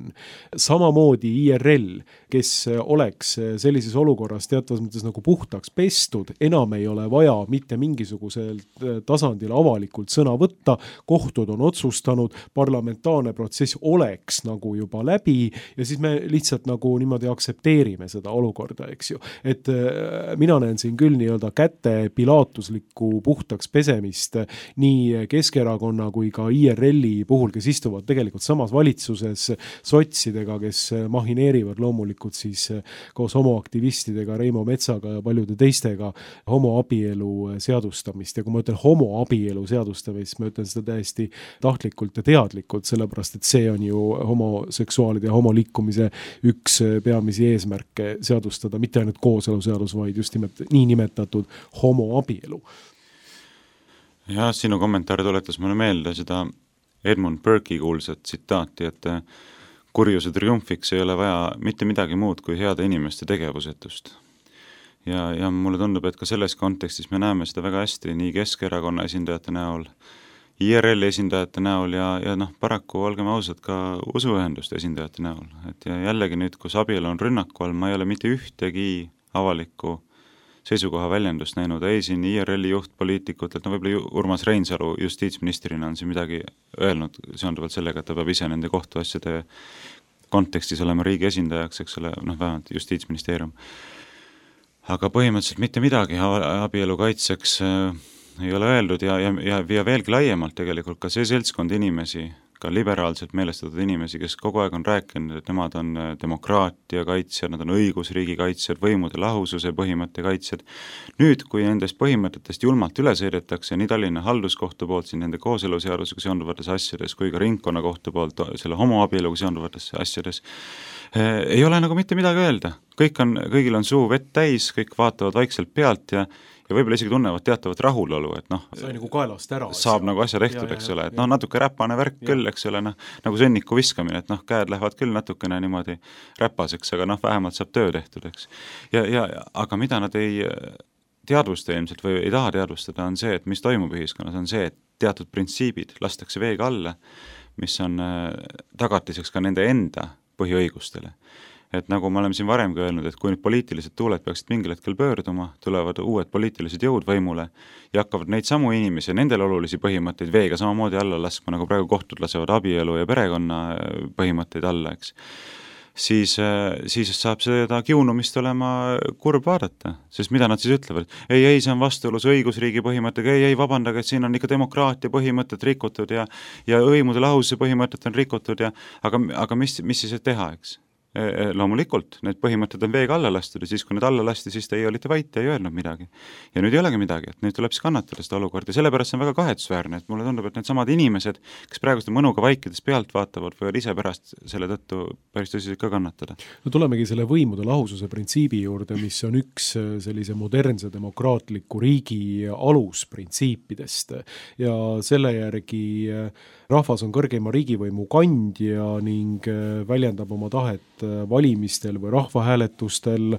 Samamoodi I R L, kes oleks sellises olukorras teatavas mõttes nagu puhtaks pestud, enam ei ole vaja mitte mingisugusel tasandil avalikult sõna võtta, kohtud on otsustanud, parlamentaarne protsess oleks nagu juba läbi ja siis me lihtsalt nagu niimoodi aktsepteerime seda olukorda, eks ju. Et mina näen siin küll nii-öelda käte pilaatuslikku puhtaks pesemist nii Keskerakonna kui ka I R L-i puhul, kes istuvad tegelikult samas valitsuses sotsidega, kes mahineerivad loomulikult siis koos homoaktivistidega, Reimo Metsaga ja paljude teistega homoabielu seadustamist. Ja kui ma ütlen homoabielu seadustamist, ma ütlen seda täiesti tahtlikult ja teadlikult, sellepärast et see on ju homoseksuaalide ja homoliikumise üks peamisi eesmärke seadustada, mitte ainult kooseluseadus, vaid just nimelt nii nimetatud homoabielu. Ja sinu kommentaar tuletas mulle meelde seda Edmund Burke'i kuulsat tsitaati, et kurjuse triumfiks ei ole vaja mitte midagi muud kui heade inimeste tegevusetust. Ja, ja mulle tundub, et ka selles kontekstis me näeme seda väga hästi nii Keskerakonna esindajate näol, I R L esindajate näol ja, ja noh, paraku olgem ausad ka usuühenduste esindajate näol. Et ja jällegi nüüd, kus abielu on rünnaku all, ma ei ole mitte ühtegi avalikku seisukoha väljendust näinud, ei siin I R L-i juhtpoliitikut, et no võib-olla Urmas Reinsalu justiitsministrina on siin midagi öelnud seonduvalt sellega, et ta peab ise nende kohtuasjade kontekstis olema riigi esindajaks, eks ole, noh vähemalt justiitsministeerium. Aga põhimõtteliselt mitte midagi abielu kaitseks ei ole öeldud ja, ja, ja, ja veelgi laiemalt tegelikult ka see seltskond inimesi, ka liberaalselt meelestatud inimesi, kes kogu aeg on rääkinud, et nemad on demokraatia kaitsjad, nad on õigusriigi kaitsjad, võimude lahususe põhimõtte kaitsjad. Nüüd, kui nendest põhimõtetest julmalt üle sõidetakse nii Tallinna halduskohtu poolt siin nende kooseluseadusega seonduvates asjades kui ka ringkonnakohtu poolt selle homoabieluga seonduvates asjades, ei ole nagu mitte midagi öelda. Kõik on, kõigil on suu vett täis, kõik vaatavad vaikselt pealt ja ja võib-olla isegi tunnevad teatavat rahulolu, et noh, sai nagu kaelast ära, saab nagu asja tehtud, eks ole, et noh, natuke räpane värk ja. Küll, eks ole, noh, nagu sõnniku viskamine, et noh, käed lähevad küll natukene niimoodi räpaseks, aga noh, vähemalt saab töö tehtud, eks. Ja, ja, aga mida nad ei teadvusta ilmselt või ei taha teadvustada, on see, et mis toimub ühiskonnas, on see, et teatud printsiibid lastakse veega alla, mis on tagatiseks ka nende enda põhiõigustele. Et nagu me oleme siin varemgi öelnud, et kui nüüd poliitilised tuuled peaksid mingil hetkel pöörduma, tulevad uued poliitilised jõud võimule ja hakkavad neid samu inimesi ja nendel olulisi põhimõtteid veega samamoodi alla laskma, nagu praegu kohtud lasevad abielu ja perekonna põhimõtteid alla, eks. Siis, siis saab seda kiunumist olema kurb vaadata, sest mida nad siis ütlevad? Ei, ei, see on vastuolus õigusriigi põhimõttega, ei, ei, vabandage, et siin on ikka demokraatia põhimõtted rikutud ja, ja võimude lahususe põhimõtted on rikutud ja aga, aga mis, mis siis teha, eks? Loomulikult, need põhimõtted on veega alla lastud ja siis, kui need alla lasti, siis te ei olite vait ja ei öelnud midagi. Ja nüüd ei olegi midagi, et nüüd tuleb siis kannatada seda olukorda ja sellepärast see on väga kahetsusväärne, et mulle tundub, et need samad inimesed, kes praegu seda mõnuga vaikides pealt vaatavad, võivad ise pärast selle tõttu päris tõsiselt ka kannatada. No tulemegi selle võimude lahususe printsiibi juurde, mis on üks sellise modernse demokraatliku riigi alusprintsiipidest ja selle järgi rahvas on kõrgeima riigivõimu kandja ning väljendab oma tahet valimistel või rahvahääletustel,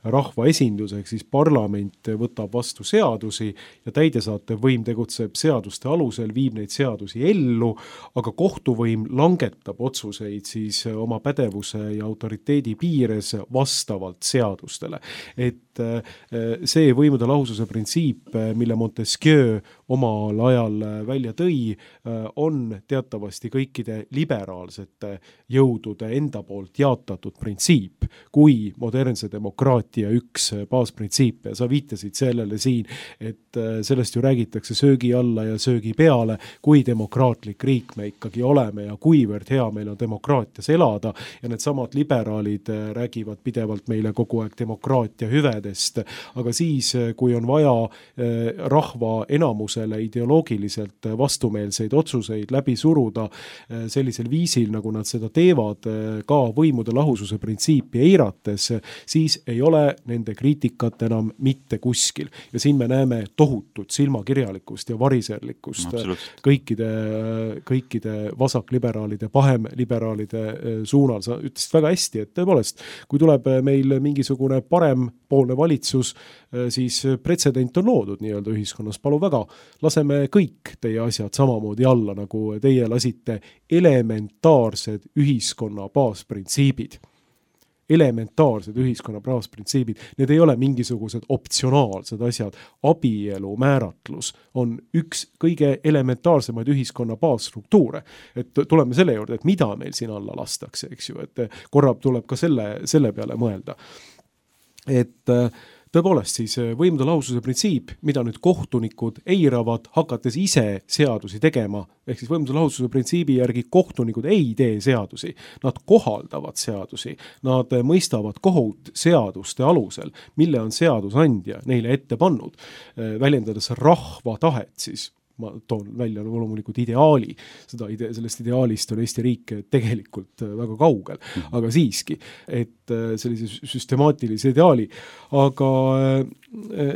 rahvaesindus, ehk siis parlament võtab vastu seadusi ja täidesaatev võim tegutseb seaduste alusel, viib neid seadusi ellu, aga kohtuvõim langetab otsuseid siis oma pädevuse ja autoriteedi piires vastavalt seadustele. Et see võimude lahususe printsiip, mille Montesquieu omal ajal välja tõi, on teatavasti kõikide liberaalsete jõudude enda poolt jaotatud printsiip, kui modernse demokraatia üks baasprintsiip. Ja sa viitasid sellele siin, et sellest ju räägitakse söögi alla ja söögi peale, kui demokraatlik riik me ikkagi oleme ja kuivõrd hea meil on demokraatias elada ja need samad liberaalid räägivad pidevalt meile kogu aeg demokraatia hüvedest nendest, aga siis, kui on vaja rahva enamusele ideoloogiliselt vastumeelseid otsuseid läbi suruda sellisel viisil, nagu nad seda teevad, ka võimude lahususe printsiipi eirates, siis ei ole nende kriitikat enam mitte kuskil. Ja siin me näeme tohutut silmakirjalikkust ja variserlikkust kõikide, kõikide vasakliberaalide, pahemliberaalide suunal. Sa ütlesid väga hästi, et tõepoolest, kui tuleb meil mingisugune parempoolne valitsus, siis pretsedent on loodud nii-öelda ühiskonnas. Palu väga, laseme kõik teie asjad samamoodi alla, nagu teie lasite elementaarsed ühiskonna baasprintsiibid. Elementaarsed ühiskonna baasprintsiibid. Need ei ole mingisugused optsionaalsed asjad. Abielu määratlus on üks kõige elementaarsemaid ühiskonna baasstruktuure. Et tuleme selle juurde, et mida meil siin alla lastakse, eks ju, et korra tuleb ka selle, selle peale mõelda. Et tõepoolest siis võimude lahususe printsiip, mida nüüd kohtunikud eiravad, hakates ise seadusi tegema, ehk siis võimude lahususe printsiibi järgi kohtunikud ei tee seadusi, nad kohaldavad seadusi, nad mõistavad kohut seaduste alusel, mille on seadusandja neile ette pannud, väljendades rahva tahet siis. Ma toon välja loomulikult ideaali, seda ide, sellest ideaalist on Eesti riik tegelikult väga kaugel, aga siiski, et sellise süstemaatilise ideaali, aga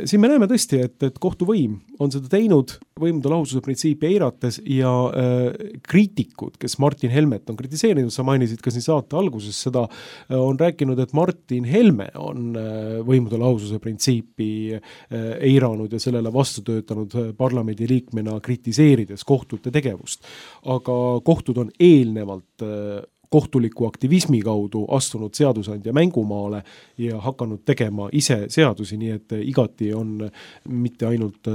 siin me näeme tõesti, et, et kohtuvõim on seda teinud võimude lahususe printsiipi eirates ja äh, kriitikud, kes Martin Helmet on kritiseerinud, sa mainisid ka siin saate alguses seda, on rääkinud, et Martin Helme on äh, võimude lahususe printsiipi äh, eiranud ja sellele vastu töötanud parlamendi liikmena kritiseerides kohtute tegevust. Aga kohtud on eelnevalt äh, kohtuliku aktivismi kaudu astunud seadusandja mängumaale ja hakanud tegema ise seadusi, nii et igati on mitte ainult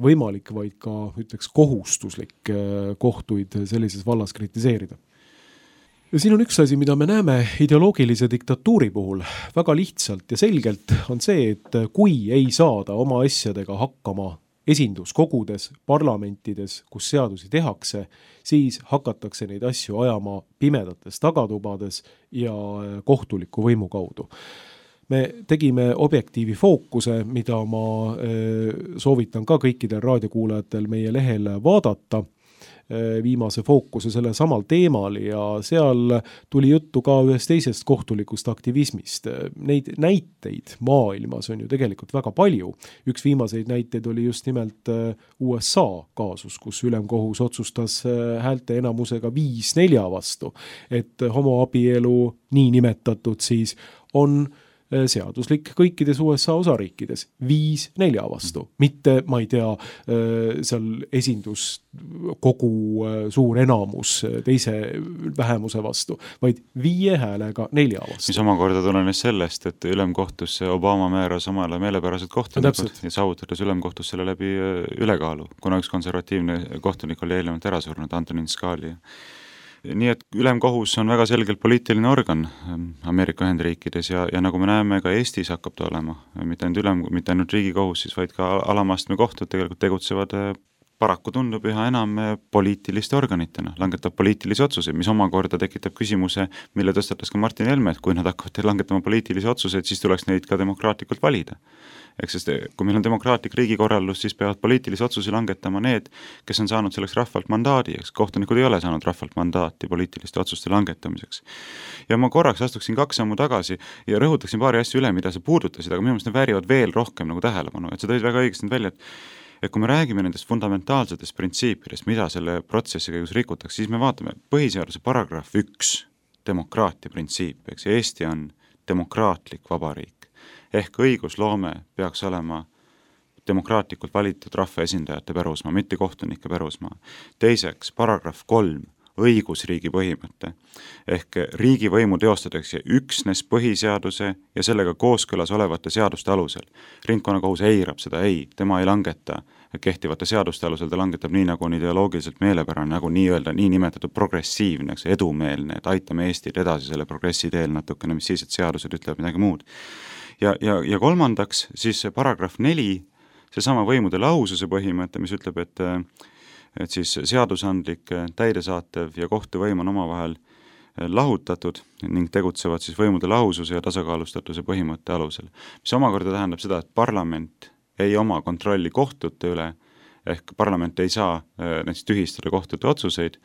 võimalik, vaid ka ütleks kohustuslik kohtuid sellises vallas kritiseerida. Ja siin on üks asi, mida me näeme ideoloogilise diktatuuri puhul väga lihtsalt ja selgelt on see, et kui ei saada oma asjadega hakkama esinduskogudes, parlamentides, kus seadusi tehakse, siis hakatakse neid asju ajama pimedates tagatubades ja kohtuliku võimu kaudu. Me tegime objektiivi fookuse, mida ma soovitan ka kõikidel raadiokuulajatel meie lehel vaadata, viimase fookuse selle samal teemal ja seal tuli juttu ka ühest teisest kohtulikust aktivismist. Neid näiteid maailmas on ju tegelikult väga palju. Üks viimaseid näiteid oli just nimelt U S A kaasus, kus ülemkohus otsustas häälte enamusega viis nelja vastu, et homoabielu nii nimetatud siis on seaduslik kõikides U S A osariikides viis nelja vastu. Mitte, ma ei tea, seal esindus kogu suur enamus teise vähemuse vastu, vaid viie häälega nelja vastu. Mis omakorda tulenes sellest, et ülemkohtusse Obama määras omale meelepärased kohtunikud ja saavutades ülemkohtus selle läbi ülekaalu, kuna üks konservatiivne kohtunik oli eelnevalt ära surnud, Antonin Scalia. Nii et ülemkohus on väga selgelt poliitiline organ Ameerika Ühendriikides ja, ja nagu me näeme, ka Eestis hakkab ta olema, mitte ainult, ülem, mitte ainult riigikohus, siis vaid ka alamastme kohtud tegelikult tegutsevad paraku tundub üha enam poliitiliste organitena, langetab poliitilisi otsuseid, mis omakorda tekitab küsimuse, mille tõstatas ka Martin Helme, et kui nad hakkavad langetama poliitilisi otsuseid, siis tuleks neid ka demokraatlikult valida. Ehk sest kui meil on demokraatlik riigikorraldus, siis peavad poliitilisi otsusi langetama need, kes on saanud selleks rahvalt mandaadi, eks kohtunikud ei ole saanud rahvalt mandaati poliitiliste otsuste langetamiseks. Ja ma korraks astuksin kaks sammu tagasi ja rõhutaksin paari asju üle, mida sa puudutasid, aga minu meelest need väärivad veel rohkem nagu tähelepanu, et sa tõid väga õigesti välja, et et kui me räägime nendest fundamentaalsetest printsiipidest, mida selle protsessi käigus rikutakse, siis me vaatame põhiseaduse paragrahv üks, demokraatia printsiip, eks Eesti on demokraatlik vabariik. Ehk õigusloome peaks olema demokraatlikult valitud rahvaesindajate pärusmaa, mitte kohtunike pärusmaa. Teiseks, paragrahv kolm, õigusriigi põhimõte. Ehk riigivõimu teostatakse üksnes põhiseaduse ja sellega kooskõlas olevate seaduste alusel. Ringkonnakohus eirab seda, ei, tema ei langeta kehtivate seaduste alusel, ta langetab nii, nagu on ideoloogiliselt meelepärane, nagu nii öelda, nii nimetatud progressiivne, edumeelne, et aitame Eestit edasi selle progressi teel natukene, mis siis, et seadused ütlevad midagi muud. Ja, ja, ja kolmandaks, siis paragrahv neli, see sama võimude lahususe põhimõte, mis ütleb, et, et siis seadusandlik, täidesaatev ja kohtuvõim on omavahel lahutatud ning tegutsevad siis võimude lahususe ja tasakaalustatuse põhimõtte alusel. Mis omakorda tähendab seda, et parlament ei oma kontrolli kohtute üle, ehk parlament ei saa näiteks tühistada kohtute otsuseid,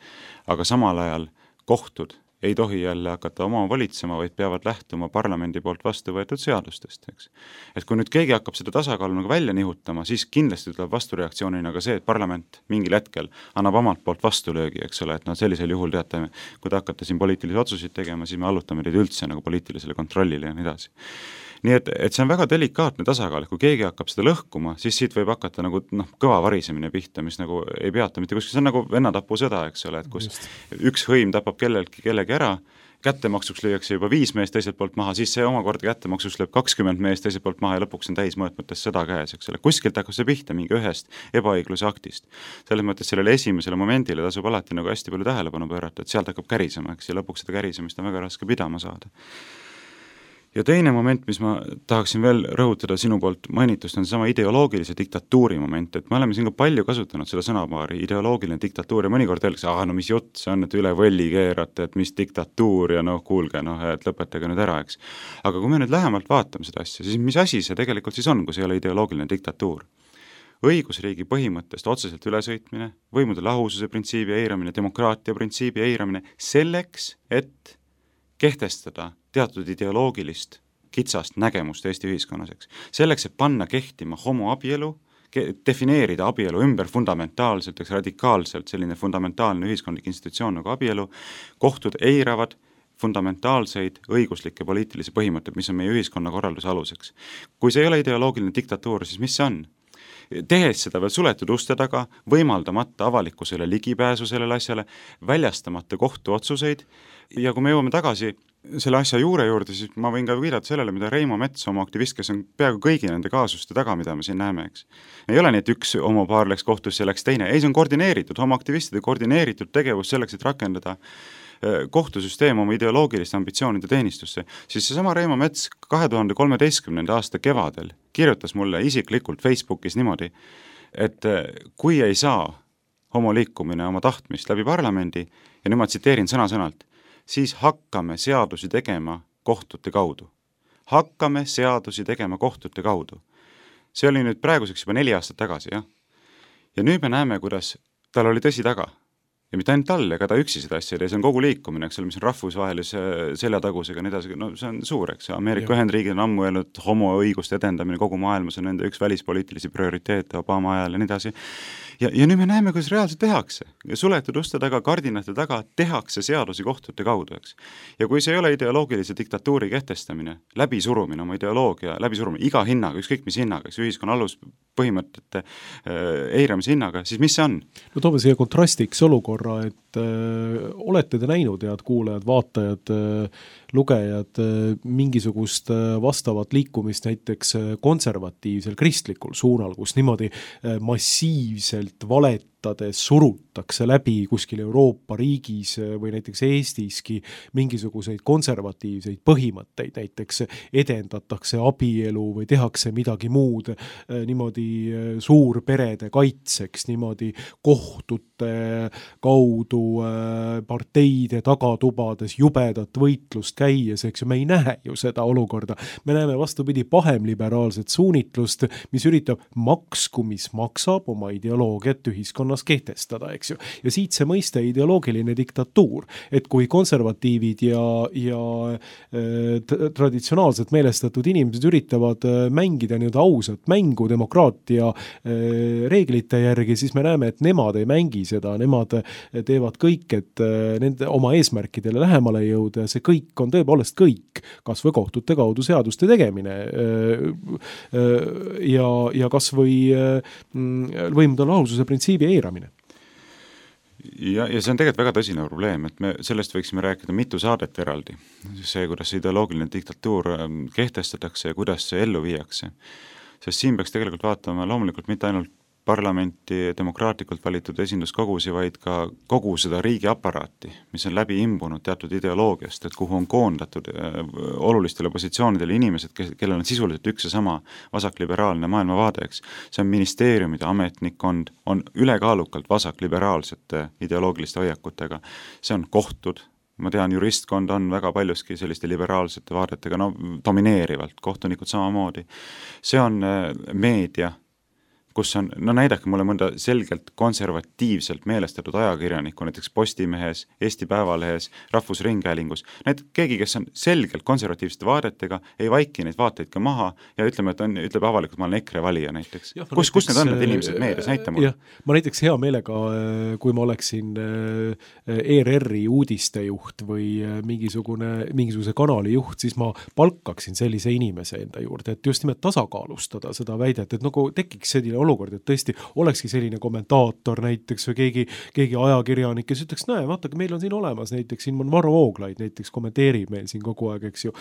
aga samal ajal kohtud ei tohi jälle hakata oma valitsema, vaid peavad lähtuma parlamendi poolt vastu võetud seadustest, eks. Et kui nüüd keegi hakkab seda tasakaalu nagu välja nihutama, siis kindlasti tuleb vastureaktsioonina ka see, et parlament mingil hetkel annab omalt poolt vastulöögi, eks ole, et no sellisel juhul teate, kui te hakkate siin poliitilisi otsuseid tegema, siis me allutame teid üldse nagu poliitilisele kontrollile ja nii edasi. Nii et, et see on väga delikaatne tasakaal, kui keegi hakkab seda lõhkuma, siis siit võib hakata nagu noh, kõva varisemine pihta, mis nagu ei peata mitte kuskil, see on nagu vennatapusõda, eks ole, et kus Just. üks hõim tapab kellelgi kellegi ära, kättemaksuks lüüakse juba viis meest teiselt poolt maha, siis see omakorda kättemaksuks lööb kakskümmend meest teiselt poolt maha ja lõpuks on täismõõtmetes sõda käes, eks ole. Kuskilt hakkab see pihta mingi ühest ebaõigluse aktist. Selles mõttes sellele esimesele momendile tasub alati nagu hästi palju tähelepanu pöörata, et sealt hakkab kärisema, eks, ja lõpuks seda kärisemist on väga raske pidama saada. Ja teine moment, mis ma tahaksin veel rõhutada sinu poolt mainitust, on sama ideoloogilise diktatuuri moment, et me oleme siin ka palju kasutanud seda sõnapaari ideoloogiline diktatuur ja mõnikord öeldakse, ah, no mis jutt see on, et üle võlli keerate, et mis diktatuur ja noh, kuulge, noh, et lõpetage nüüd ära, eks. Aga kui me nüüd lähemalt vaatame seda asja, siis mis asi see tegelikult siis on, kui see ei ole ideoloogiline diktatuur? Õigusriigi põhimõttest otseselt ülesõitmine, võimude lahususe printsiibi eiramine, demokraatia printsiibi eiramine selleks, et kehtestada teatud ideoloogilist kitsast nägemust Eesti ühiskonnas, eks. Selleks, et panna kehtima homoabielu, defineerida abielu ümber fundamentaalselt, eks radikaalselt selline fundamentaalne ühiskondlik institutsioon nagu abielu, kohtud eiravad fundamentaalseid õiguslikke poliitilisi põhimõtteid, mis on meie ühiskonna korralduse aluseks. Kui see ei ole ideoloogiline diktatuur, siis mis see on? Tehes seda veel suletud uste taga, võimaldamata avalikkusele ligipääsu sellele asjale, väljastamata kohtuotsuseid ja kui me jõuame tagasi selle asja juure juurde, siis ma võin ka viidata sellele, mida Reimo Mets, oma aktivist, kes on peaaegu kõigi nende kaasuste taga, mida me siin näeme, eks. Ei ole nii, et üks homopaar läks kohtusse ja läks teine, ei, see on koordineeritud, homoaktivistide koordineeritud tegevus selleks, et rakendada kohtusüsteem oma ideoloogiliste ambitsioonide teenistusse, siis seesama Reimo Mets kahe tuhande kolmeteistkümnenda aasta kevadel kirjutas mulle isiklikult Facebookis niimoodi, et kui ei saa homoliikumine oma tahtmist läbi parlamendi, ja nüüd ma tsiteerin sõna-sõnalt, siis hakkame seadusi tegema kohtute kaudu. Hakkame seadusi tegema kohtute kaudu. See oli nüüd praeguseks juba neli aastat tagasi, jah. Ja nüüd me näeme, kuidas tal oli tõsi taga. Ja mitte ainult tal, ega ta üksi seda asja, see on kogu liikumine, eks ole, mis on rahvusvahelise seljatagusega, nii edasi, no see on suur, eks. Ameerika Ühendriigid on ammu öelnud, homoõiguste edendamine kogu maailmas on nende üks välispoliitilisi prioriteete Obama ajal ja nii edasi. Ja, ja nüüd me näeme, kuidas reaalselt tehakse. Ja suletud uste taga, kardinate taga tehakse seadusi kohtute kaudu, eks. Ja kui see ei ole ideoloogilise diktatuuri kehtestamine, läbisurumine oma ideoloogia, läbisurumine iga hinnaga, ükskõik mis hinnaga, eks ühiskonna aluspõhimõtete äh, eiramise hinnaga, siis mis see on? No toome siia kontrastiks olukorra, et äh, olete te näinud, head kuulajad, vaatajad, äh, lugejad, äh, mingisugust äh, vastavat liikumist näiteks äh, konservatiivsel kristlikul suunal, kus niimoodi äh, massiivselt valetades surutakse läbi kuskil Euroopa riigis või näiteks Eestiski mingisuguseid konservatiivseid põhimõtteid, näiteks edendatakse abielu või tehakse midagi muud niimoodi suurperede kaitseks, niimoodi kohtute kaudu parteide tagatubades jubedat võitlust käies, eks ju, me ei näe ju seda olukorda. Me näeme vastupidi pahemliberaalset suunitlust, mis üritab maksku, mis maksab oma ideoloogia et ühiskonnas kehtestada, eks ju. Ja siit see mõiste ideoloogiline diktatuur, et kui konservatiivid ja, ja äh, traditsionaalselt meelestatud inimesed üritavad äh, mängida nii-öelda ausat mängu demokraatia äh, reeglite järgi, siis me näeme, et nemad ei mängi seda, nemad teevad kõik, et äh, nende oma eesmärkidele lähemale jõuda ja see kõik on tõepoolest kõik, kas või kohtute kaudu seaduste tegemine äh, äh, ja, ja kas või äh, võimude lahususe printsiibi eiramine. Ja, ja see on tegelikult väga tõsine probleem, et me sellest võiksime rääkida mitu saadet eraldi. See, kuidas ideoloogiline diktatuur kehtestatakse ja kuidas see ellu viiakse. Sest siin peaks tegelikult vaatama loomulikult mitte ainult parlamenti demokraatlikult valitud esinduskogusi, vaid ka kogu seda riigi aparaati, mis on läbi imbunud teatud ideoloogiast, et kuhu on koondatud äh, olulistele positsioonidele inimesed, kellel on sisuliselt üks ja sama vasakliberaalne maailmavaade, eks. See on ministeeriumide ametnikkond, on ülekaalukalt vasakliberaalsete ideoloogiliste hoiakutega. See on kohtud, ma tean, juristkond on väga paljuski selliste liberaalsete vaadetega, no domineerivalt, kohtunikud samamoodi. See on meedia, kus on, no näidake mulle mõnda selgelt konservatiivselt meelestatud ajakirjanikku, näiteks Postimehes, Eesti Päevalehes, Rahvusringhäälingus, näed, keegi, kes on selgelt konservatiivsete vaadetega, ei vaiki neid vaateid ka maha ja ütleme, et on, ütleb avalikult, ma olen EKRE valija näiteks. Ja, kus, näiteks, kus need on need inimesed meedias, näita mulle? Ma näiteks hea meelega, kui ma oleksin E R R-i uudistejuht või mingisugune, mingisuguse kanali juht, siis ma palkaksin sellise inimese enda juurde, et just nimelt tasakaalustada seda väidet, et nagu tekiks selline olukord, et tõesti olekski selline kommentaator näiteks või keegi, keegi ajakirjanik, kes ütleks, näe, vaata, meil on siin olemas näiteks, siin on Varro Vooglaid näiteks kommenteerib meil siin kogu aeg, eks ju,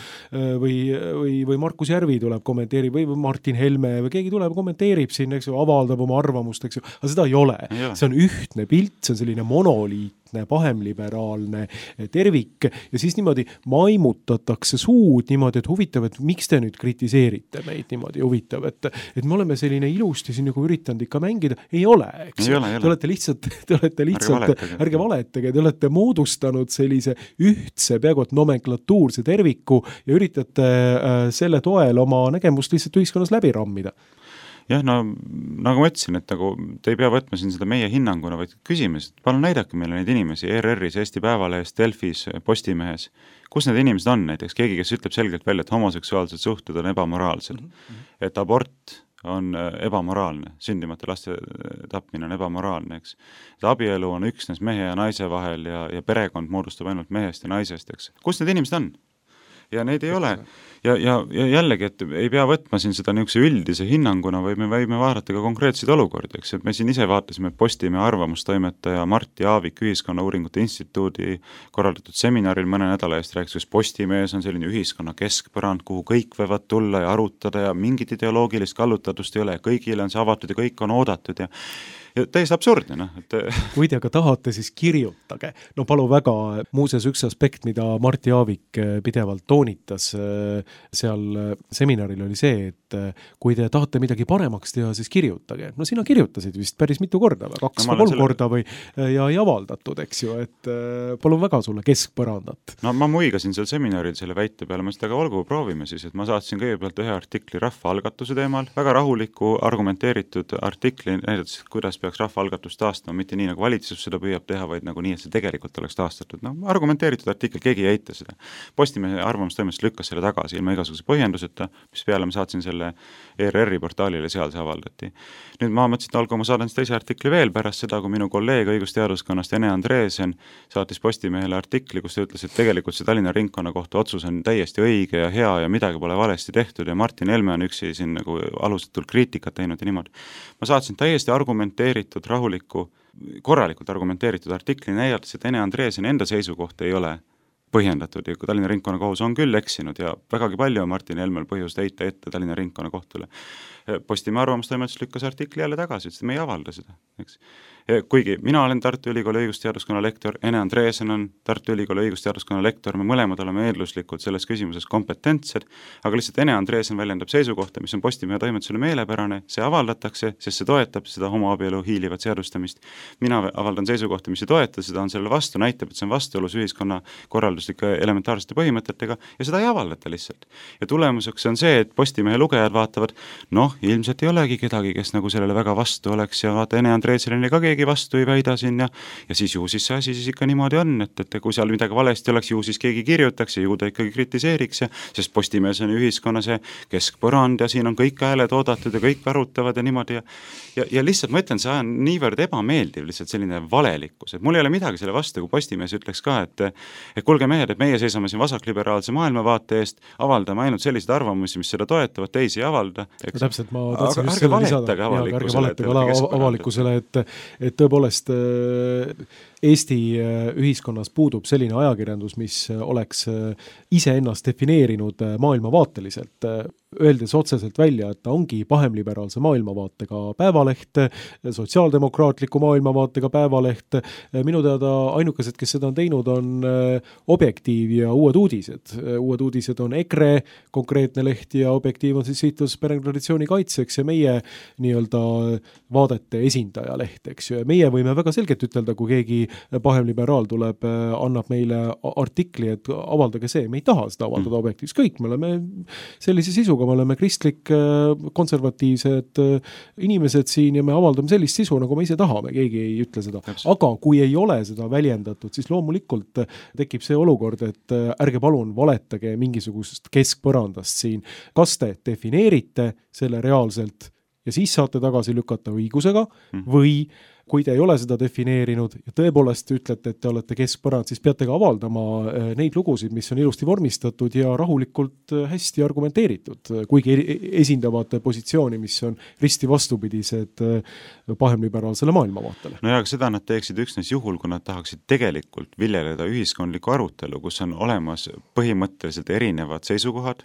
või, või, või Markus Järvi tuleb kommenteerib, või Martin Helme või keegi tuleb kommenteerib siin, eks ju, avaldab oma arvamust, eks ju, aga seda ei ole. See on ühtne pilt, see on selline monoliit, pahemliberaalne tervik ja siis niimoodi maimutatakse suud niimoodi, et huvitav, et miks te nüüd kritiseerite meid niimoodi huvitav, et, et me oleme selline ilusti siin nagu üritanud ikka mängida, ei ole, eks ei ole, ei te olete lihtsalt, te olete lihtsalt, ärge valetage, te olete moodustanud sellise ühtse, peaaegu et nomenklatuurse terviku ja üritate äh, selle toel oma nägemust lihtsalt ühiskonnas läbi rammida. Jah, no nagu ma ütlesin, et nagu te ei pea võtma siin seda meie hinnanguna, vaid küsime, et palun näidake meile neid inimesi E R R-is, Eesti Päevalehes, Delfis, Postimehes, kus need inimesed on näiteks, keegi, kes ütleb selgelt välja, et homoseksuaalsed suhted on ebamoraalsed, mm-hmm. et abort on ebamoraalne, sündimata laste tapmine on ebamoraalne, eks. Et abielu on üksnes mehe ja naise vahel ja, ja perekond moodustab ainult mehest ja naisest, eks. Kus need inimesed on? Ja neid ei ole. Ja, ja, ja jällegi, et ei pea võtma siin seda niisuguse üldise hinnanguna, või me võime vaadata ka konkreetseid olukordi, eks, et me siin ise vaatasime Postimehe arvamustoimetaja Martti Aavik Ühiskonnauuringute Instituudi korraldatud seminaril mõne nädala eest rääkis, kus Postimehes on selline ühiskonna keskpõrand, kuhu kõik võivad tulla ja arutada ja mingit ideoloogilist kallutatust ei ole ja kõigile on see avatud ja kõik on oodatud ja ja täiesti absurdne, noh. Et... kui te aga tahate, siis kirjutage. No palu väga, muuseas üks aspekt, mida Martti Aavik pidevalt toonitas seal seminaril oli see, et kui te tahate midagi paremaks teha, siis kirjutage. No sina kirjutasid vist päris mitu korda, kaks no, või kolm selle... korda või ja ei avaldatud, eks ju, et palun väga sulle keskpõrandat. No ma muigasin seal seminaril selle väite peale, ma seda ka olgu proovime siis, et ma saatsin kõigepealt ühe artikli rahvaalgatuse teemal, väga rahuliku, argumenteeritud artikli, näidates, kuidas peaks rahvaalgatust taastama, mitte nii, nagu valitsus seda püüab teha, vaid nagu nii, et see tegelikult oleks taastatud. No, argumenteeritud artikkel, keegi ei eita seda. Postimehe arvamustoimest lükkas selle tagasi ilma igasuguse põhjenduseta, mis peale ma saatsin selle E R R-i portaalile, seal see avaldati. Nüüd ma mõtlesin, et algu ma saadan teise artikli veel pärast seda, kui minu kolleeg õigusteaduskonnast Ene Andreesen saatis Postimehele artikli, kus ta ütles, et tegelikult see Tallinna ringkonna kohta otsus on täiesti õige ja hea ja midagi pole valesti tehtud ja Martin Helme on üksi siin nagu alusetult kriitikat teinud ja niimoodi. Ma saatsin täiesti argumenteeritud, rahuliku, korralikult argumenteeritud artikli näidates, et Ene Andreesen enda seisukoht ei ole põhjendatud ja kui Tallinna ringkonna kohus on küll eksinud ja vägagi palju on Martin Helmel põhjust heita ette Tallinna ringkonna kohtule. Postimehe arvamustoimetus lükkas artikli jälle tagasi, et me ei avalda seda, eks. Kuigi mina olen Tartu Ülikooli õigusteaduskonna lektor, Ene Andreesen on Tartu Ülikooli õigusteaduskonna lektor, me mõlemad oleme eelduslikult selles küsimuses kompetentsed, aga lihtsalt Ene Andreesen väljendab seisukohta, mis on Postimehe toimetusele meelepärane, see avaldatakse, sest see toetab seda homoabielu hiilivat seadustamist. Mina avaldan seisukohta, mis ei toeta, seda on selle vastu, näitab, et see on vastuolus ühiskonna korralduslike elementaarsete põhimõtetega ja seda ei avaldata lihtsalt. Ja tulemuseks on see, et Postimehe lugejad vaatavad, noh, ilmselt ei olegi kedagi, kes nagu sellele väga vastu oleks ja vaata, Ene Andreesenile ka keegi vastu ei väida siin ja, ja siis ju siis see asi siis ikka niimoodi on, et, et kui seal midagi valesti oleks, ju siis keegi kirjutaks ja ju ta ikkagi kritiseeriks ja sest Postimees on ühiskonna see keskpõrand ja siin on kõik hääled oodatud ja kõik arutavad ja niimoodi ja, ja, ja lihtsalt ma ütlen, see on niivõrd ebameeldiv, lihtsalt selline valelikkus, et mul ei ole midagi selle vastu, kui Postimees ütleks ka, et, et kuulge mehed, et meie seisame siin vasakliberaalse maailmavaate eest, avaldame ainult selliseid arvamusi, mis seda toetavad, teisi ei avalda. No, täpselt, ma tahtsin just selle lisada, ärge valetage avalikkusele, et et tõepoolest Eesti ühiskonnas puudub selline ajakirjandus, mis oleks iseennast defineerinud maailmavaateliselt, öeldes otseselt välja, et ta ongi pahemliberaalse maailmavaatega päevaleht, sotsiaaldemokraatliku maailmavaatega päevaleht. Minu teada ainukesed, kes seda on teinud, on Objektiiv ja Uued uudised. Uued uudised on EKRE konkreetne leht ja Objektiiv on siis Sihitus perekonnatraditsiooni kaitseks ja meie nii-öelda vaadete esindaja leht, eks ju. Meie võime väga selgelt ütelda, kui keegi pahemliberaal tuleb, annab meile artikli, et avaldage see, me ei taha seda avaldada mm. objektiivs. Kõik, me oleme sellise sisuga, me oleme kristlik, konservatiivsed inimesed siin ja me avaldame sellist sisu, nagu me ise tahame, keegi ei ütle seda. Aga kui ei ole seda väljendatud, siis loomulikult tekib see olukord, et ärge palun valetage mingisugusest keskpõrandast siin. Kas te defineerite selle reaalselt ja siis saate tagasi lükata õigusega või kui te ei ole seda defineerinud ja tõepoolest ütlete, et te olete keskpõrand, siis peate ka avaldama neid lugusid, mis on ilusti vormistatud ja rahulikult hästi argumenteeritud, kuigi esindavad positsiooni, mis on risti vastupidised pahemliberaalsele maailmavaatele. No ja seda nad teeksid üksnes juhul, kui nad tahaksid tegelikult viljeleda ühiskondlikku arutelu, kus on olemas põhimõtteliselt erinevad seisukohad,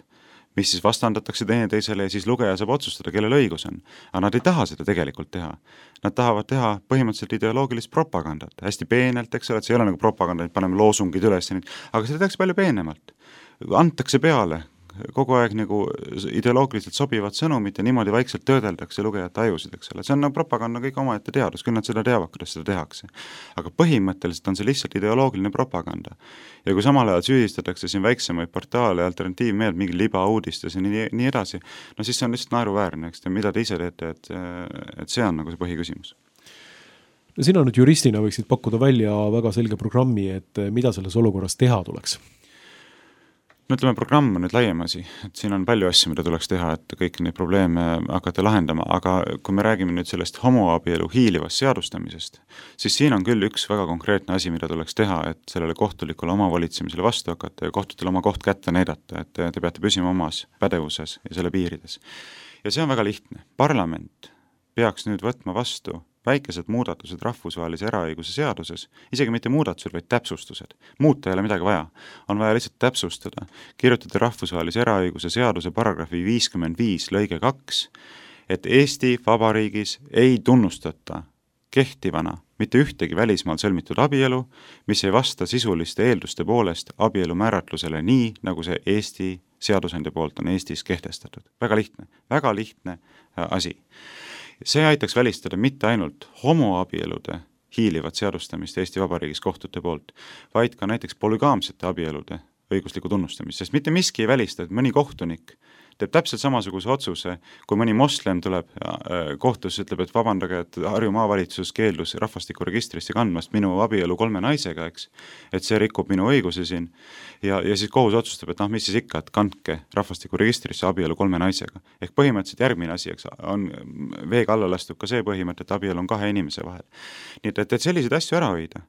mis siis vastandatakse teine teisele ja siis lugeja saab otsustada, kellel õigus on. Aga nad ei taha seda tegelikult teha. Nad tahavad teha põhimõtteliselt ideoloogilist propagandat. Hästi peenelt, eks ole, et see ei ole nagu propaganda, et paneme loosungid üles, aga seda tehakse palju peenemalt. Antakse peale kogu aeg nagu ideoloogiliselt sobivad sõnumid ja niimoodi vaikselt töödeldakse lugejate ajusid, eks ole. See on nagu propaganda kõik omaette teadus, küll nad seda teavad, kuidas seda tehakse. Aga põhimõtteliselt on see lihtsalt ideoloogiline propaganda. Ja kui samal ajal süüdistatakse siin väiksemaid portaale ja alternatiivmeelt mingi libauudistes ja nii, nii edasi, no siis see on lihtsalt naeruväärne, eks te, mida te ise teete, et, et see on nagu see põhiküsimus. No sina nüüd juristina võiksid pakkuda välja väga selge programmi, et mida selles olukorras teha tuleks? No ütleme, programm on nüüd laiem asi, et siin on palju asju, mida tuleks teha, et kõik neid probleeme hakata lahendama, aga kui me räägime nüüd sellest homoabielu hiilivast seadustamisest, siis siin on küll üks väga konkreetne asi, mida tuleks teha, et sellele kohtulikule omavalitsemisele vastu hakata ja kohtutele oma koht kätte näidata, et te peate püsima omas pädevuses ja selle piirides. Ja see on väga lihtne. Parlament peaks nüüd võtma vastu väikesed muudatused rahvusvahelise eraõiguse seaduses, isegi mitte muudatused, vaid täpsustused. Muuta ei ole midagi vaja. On vaja lihtsalt täpsustada. Kirjutada rahvusvahelise eraõiguse seaduse paragrahvi viiskümmend viis lõige kaks, et Eesti Vabariigis ei tunnustata kehtivana mitte ühtegi välismaal sõlmitud abielu, mis ei vasta sisuliste eelduste poolest abielu määratlusele nii, nagu see Eesti seadusandja poolt on Eestis kehtestatud. Väga lihtne, väga lihtne asi. See aitaks välistada mitte ainult homoabielude hiilivat seadustamist Eesti Vabariigis kohtute poolt, vaid ka näiteks polügaamsete abielude õiguslikku tunnustamist, sest mitte miski ei välista, et mõni kohtunik teeb täpselt samasuguse otsuse, kui mõni moslem tuleb kohtus, ütleb, et vabandage, et Harju maavalitsus keeldus rahvastikuregistrisse kandmast minu abielu kolme naisega, eks, et see rikub minu õigusi siin, ja, ja siis kohus otsustab, et noh, mis siis ikka, et kandke rahvastikuregistrisse abielu kolme naisega. Ehk põhimõtteliselt järgmine asi, eks, on veega alla lastud ka see põhimõte, et abielu on kahe inimese vahel. Nii et, et selliseid asju ära hoida,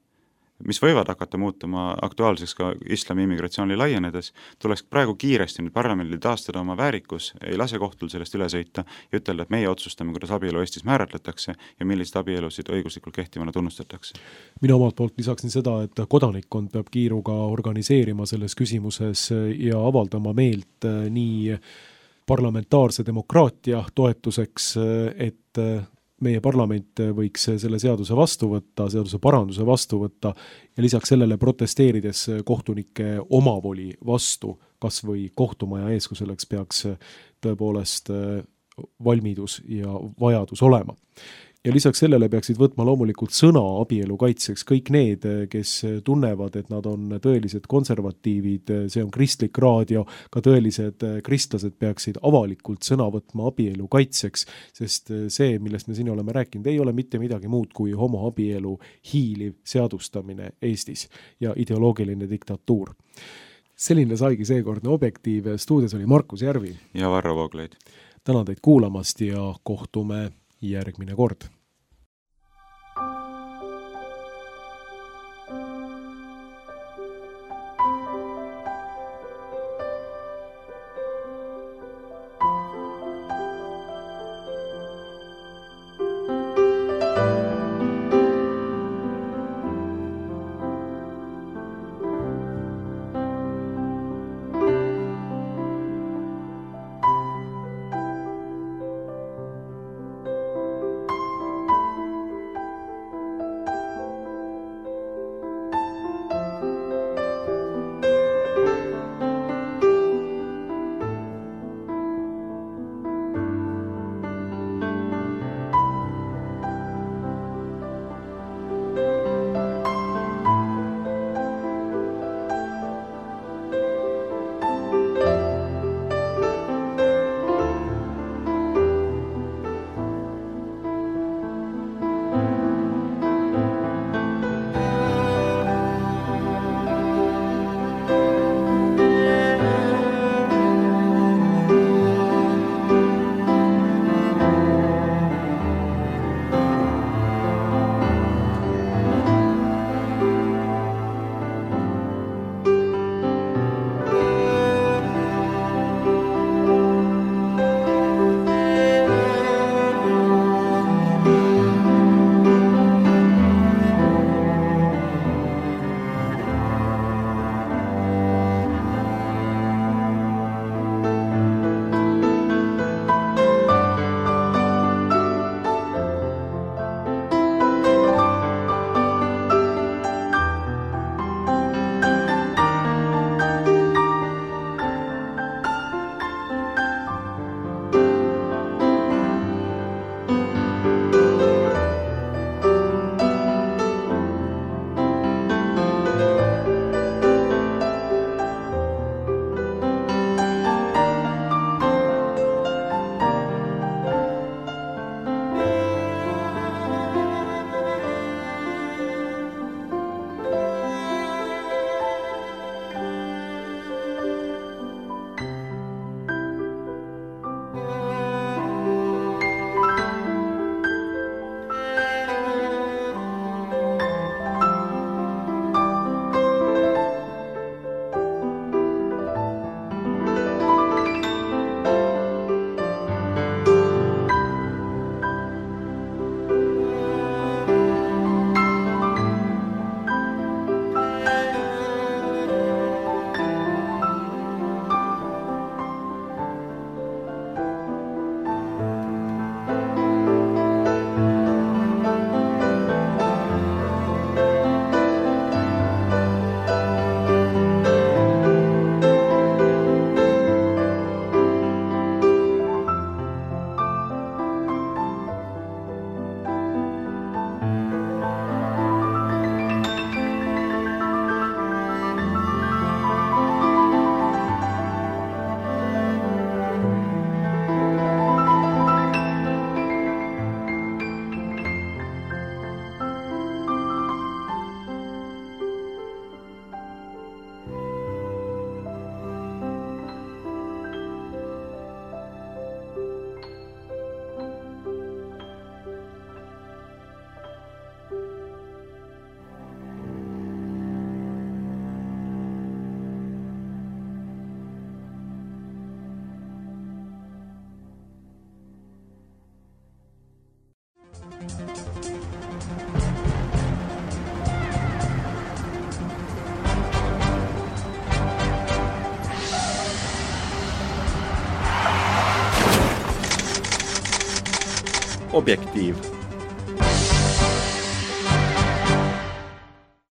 mis võivad hakata muutuma aktuaalseks ka islami immigratsiooni laienedes, tuleks praegu kiiresti nüüd parlamendil taastada oma väärikus, ei lase kohtul sellest üle sõita ja ütelda, et meie otsustame, kuidas abielu Eestis määratletakse ja millised abielusid õiguslikult kehtivana tunnustatakse. Mina omalt poolt lisaksin seda, et kodanikkond peab kiiruga organiseerima selles küsimuses ja avaldama meelt nii parlamentaarse demokraatia toetuseks, et meie parlament võiks selle seaduse vastu võtta, seaduse paranduse vastu võtta ja lisaks sellele protesteerides kohtunike omavoli vastu, kas või kohtumaja ees, kui selleks peaks tõepoolest valmidus ja vajadus olema. Ja lisaks sellele peaksid võtma loomulikult sõna abielu kaitseks kõik need, kes tunnevad, et nad on tõelised konservatiivid, see on kristlik raadio, ka tõelised kristlased peaksid avalikult sõna võtma abielu kaitseks, sest see, millest me siin oleme rääkinud, ei ole mitte midagi muud kui homoabielu hiiliv seadustamine Eestis ja ideoloogiline diktatuur. Selline saigi seekordne Objektiiv, stuudios oli Markus Järvi ja Varro Vooglaid. Tänan teid kuulamast ja kohtume järgmine kord. Objektiiv.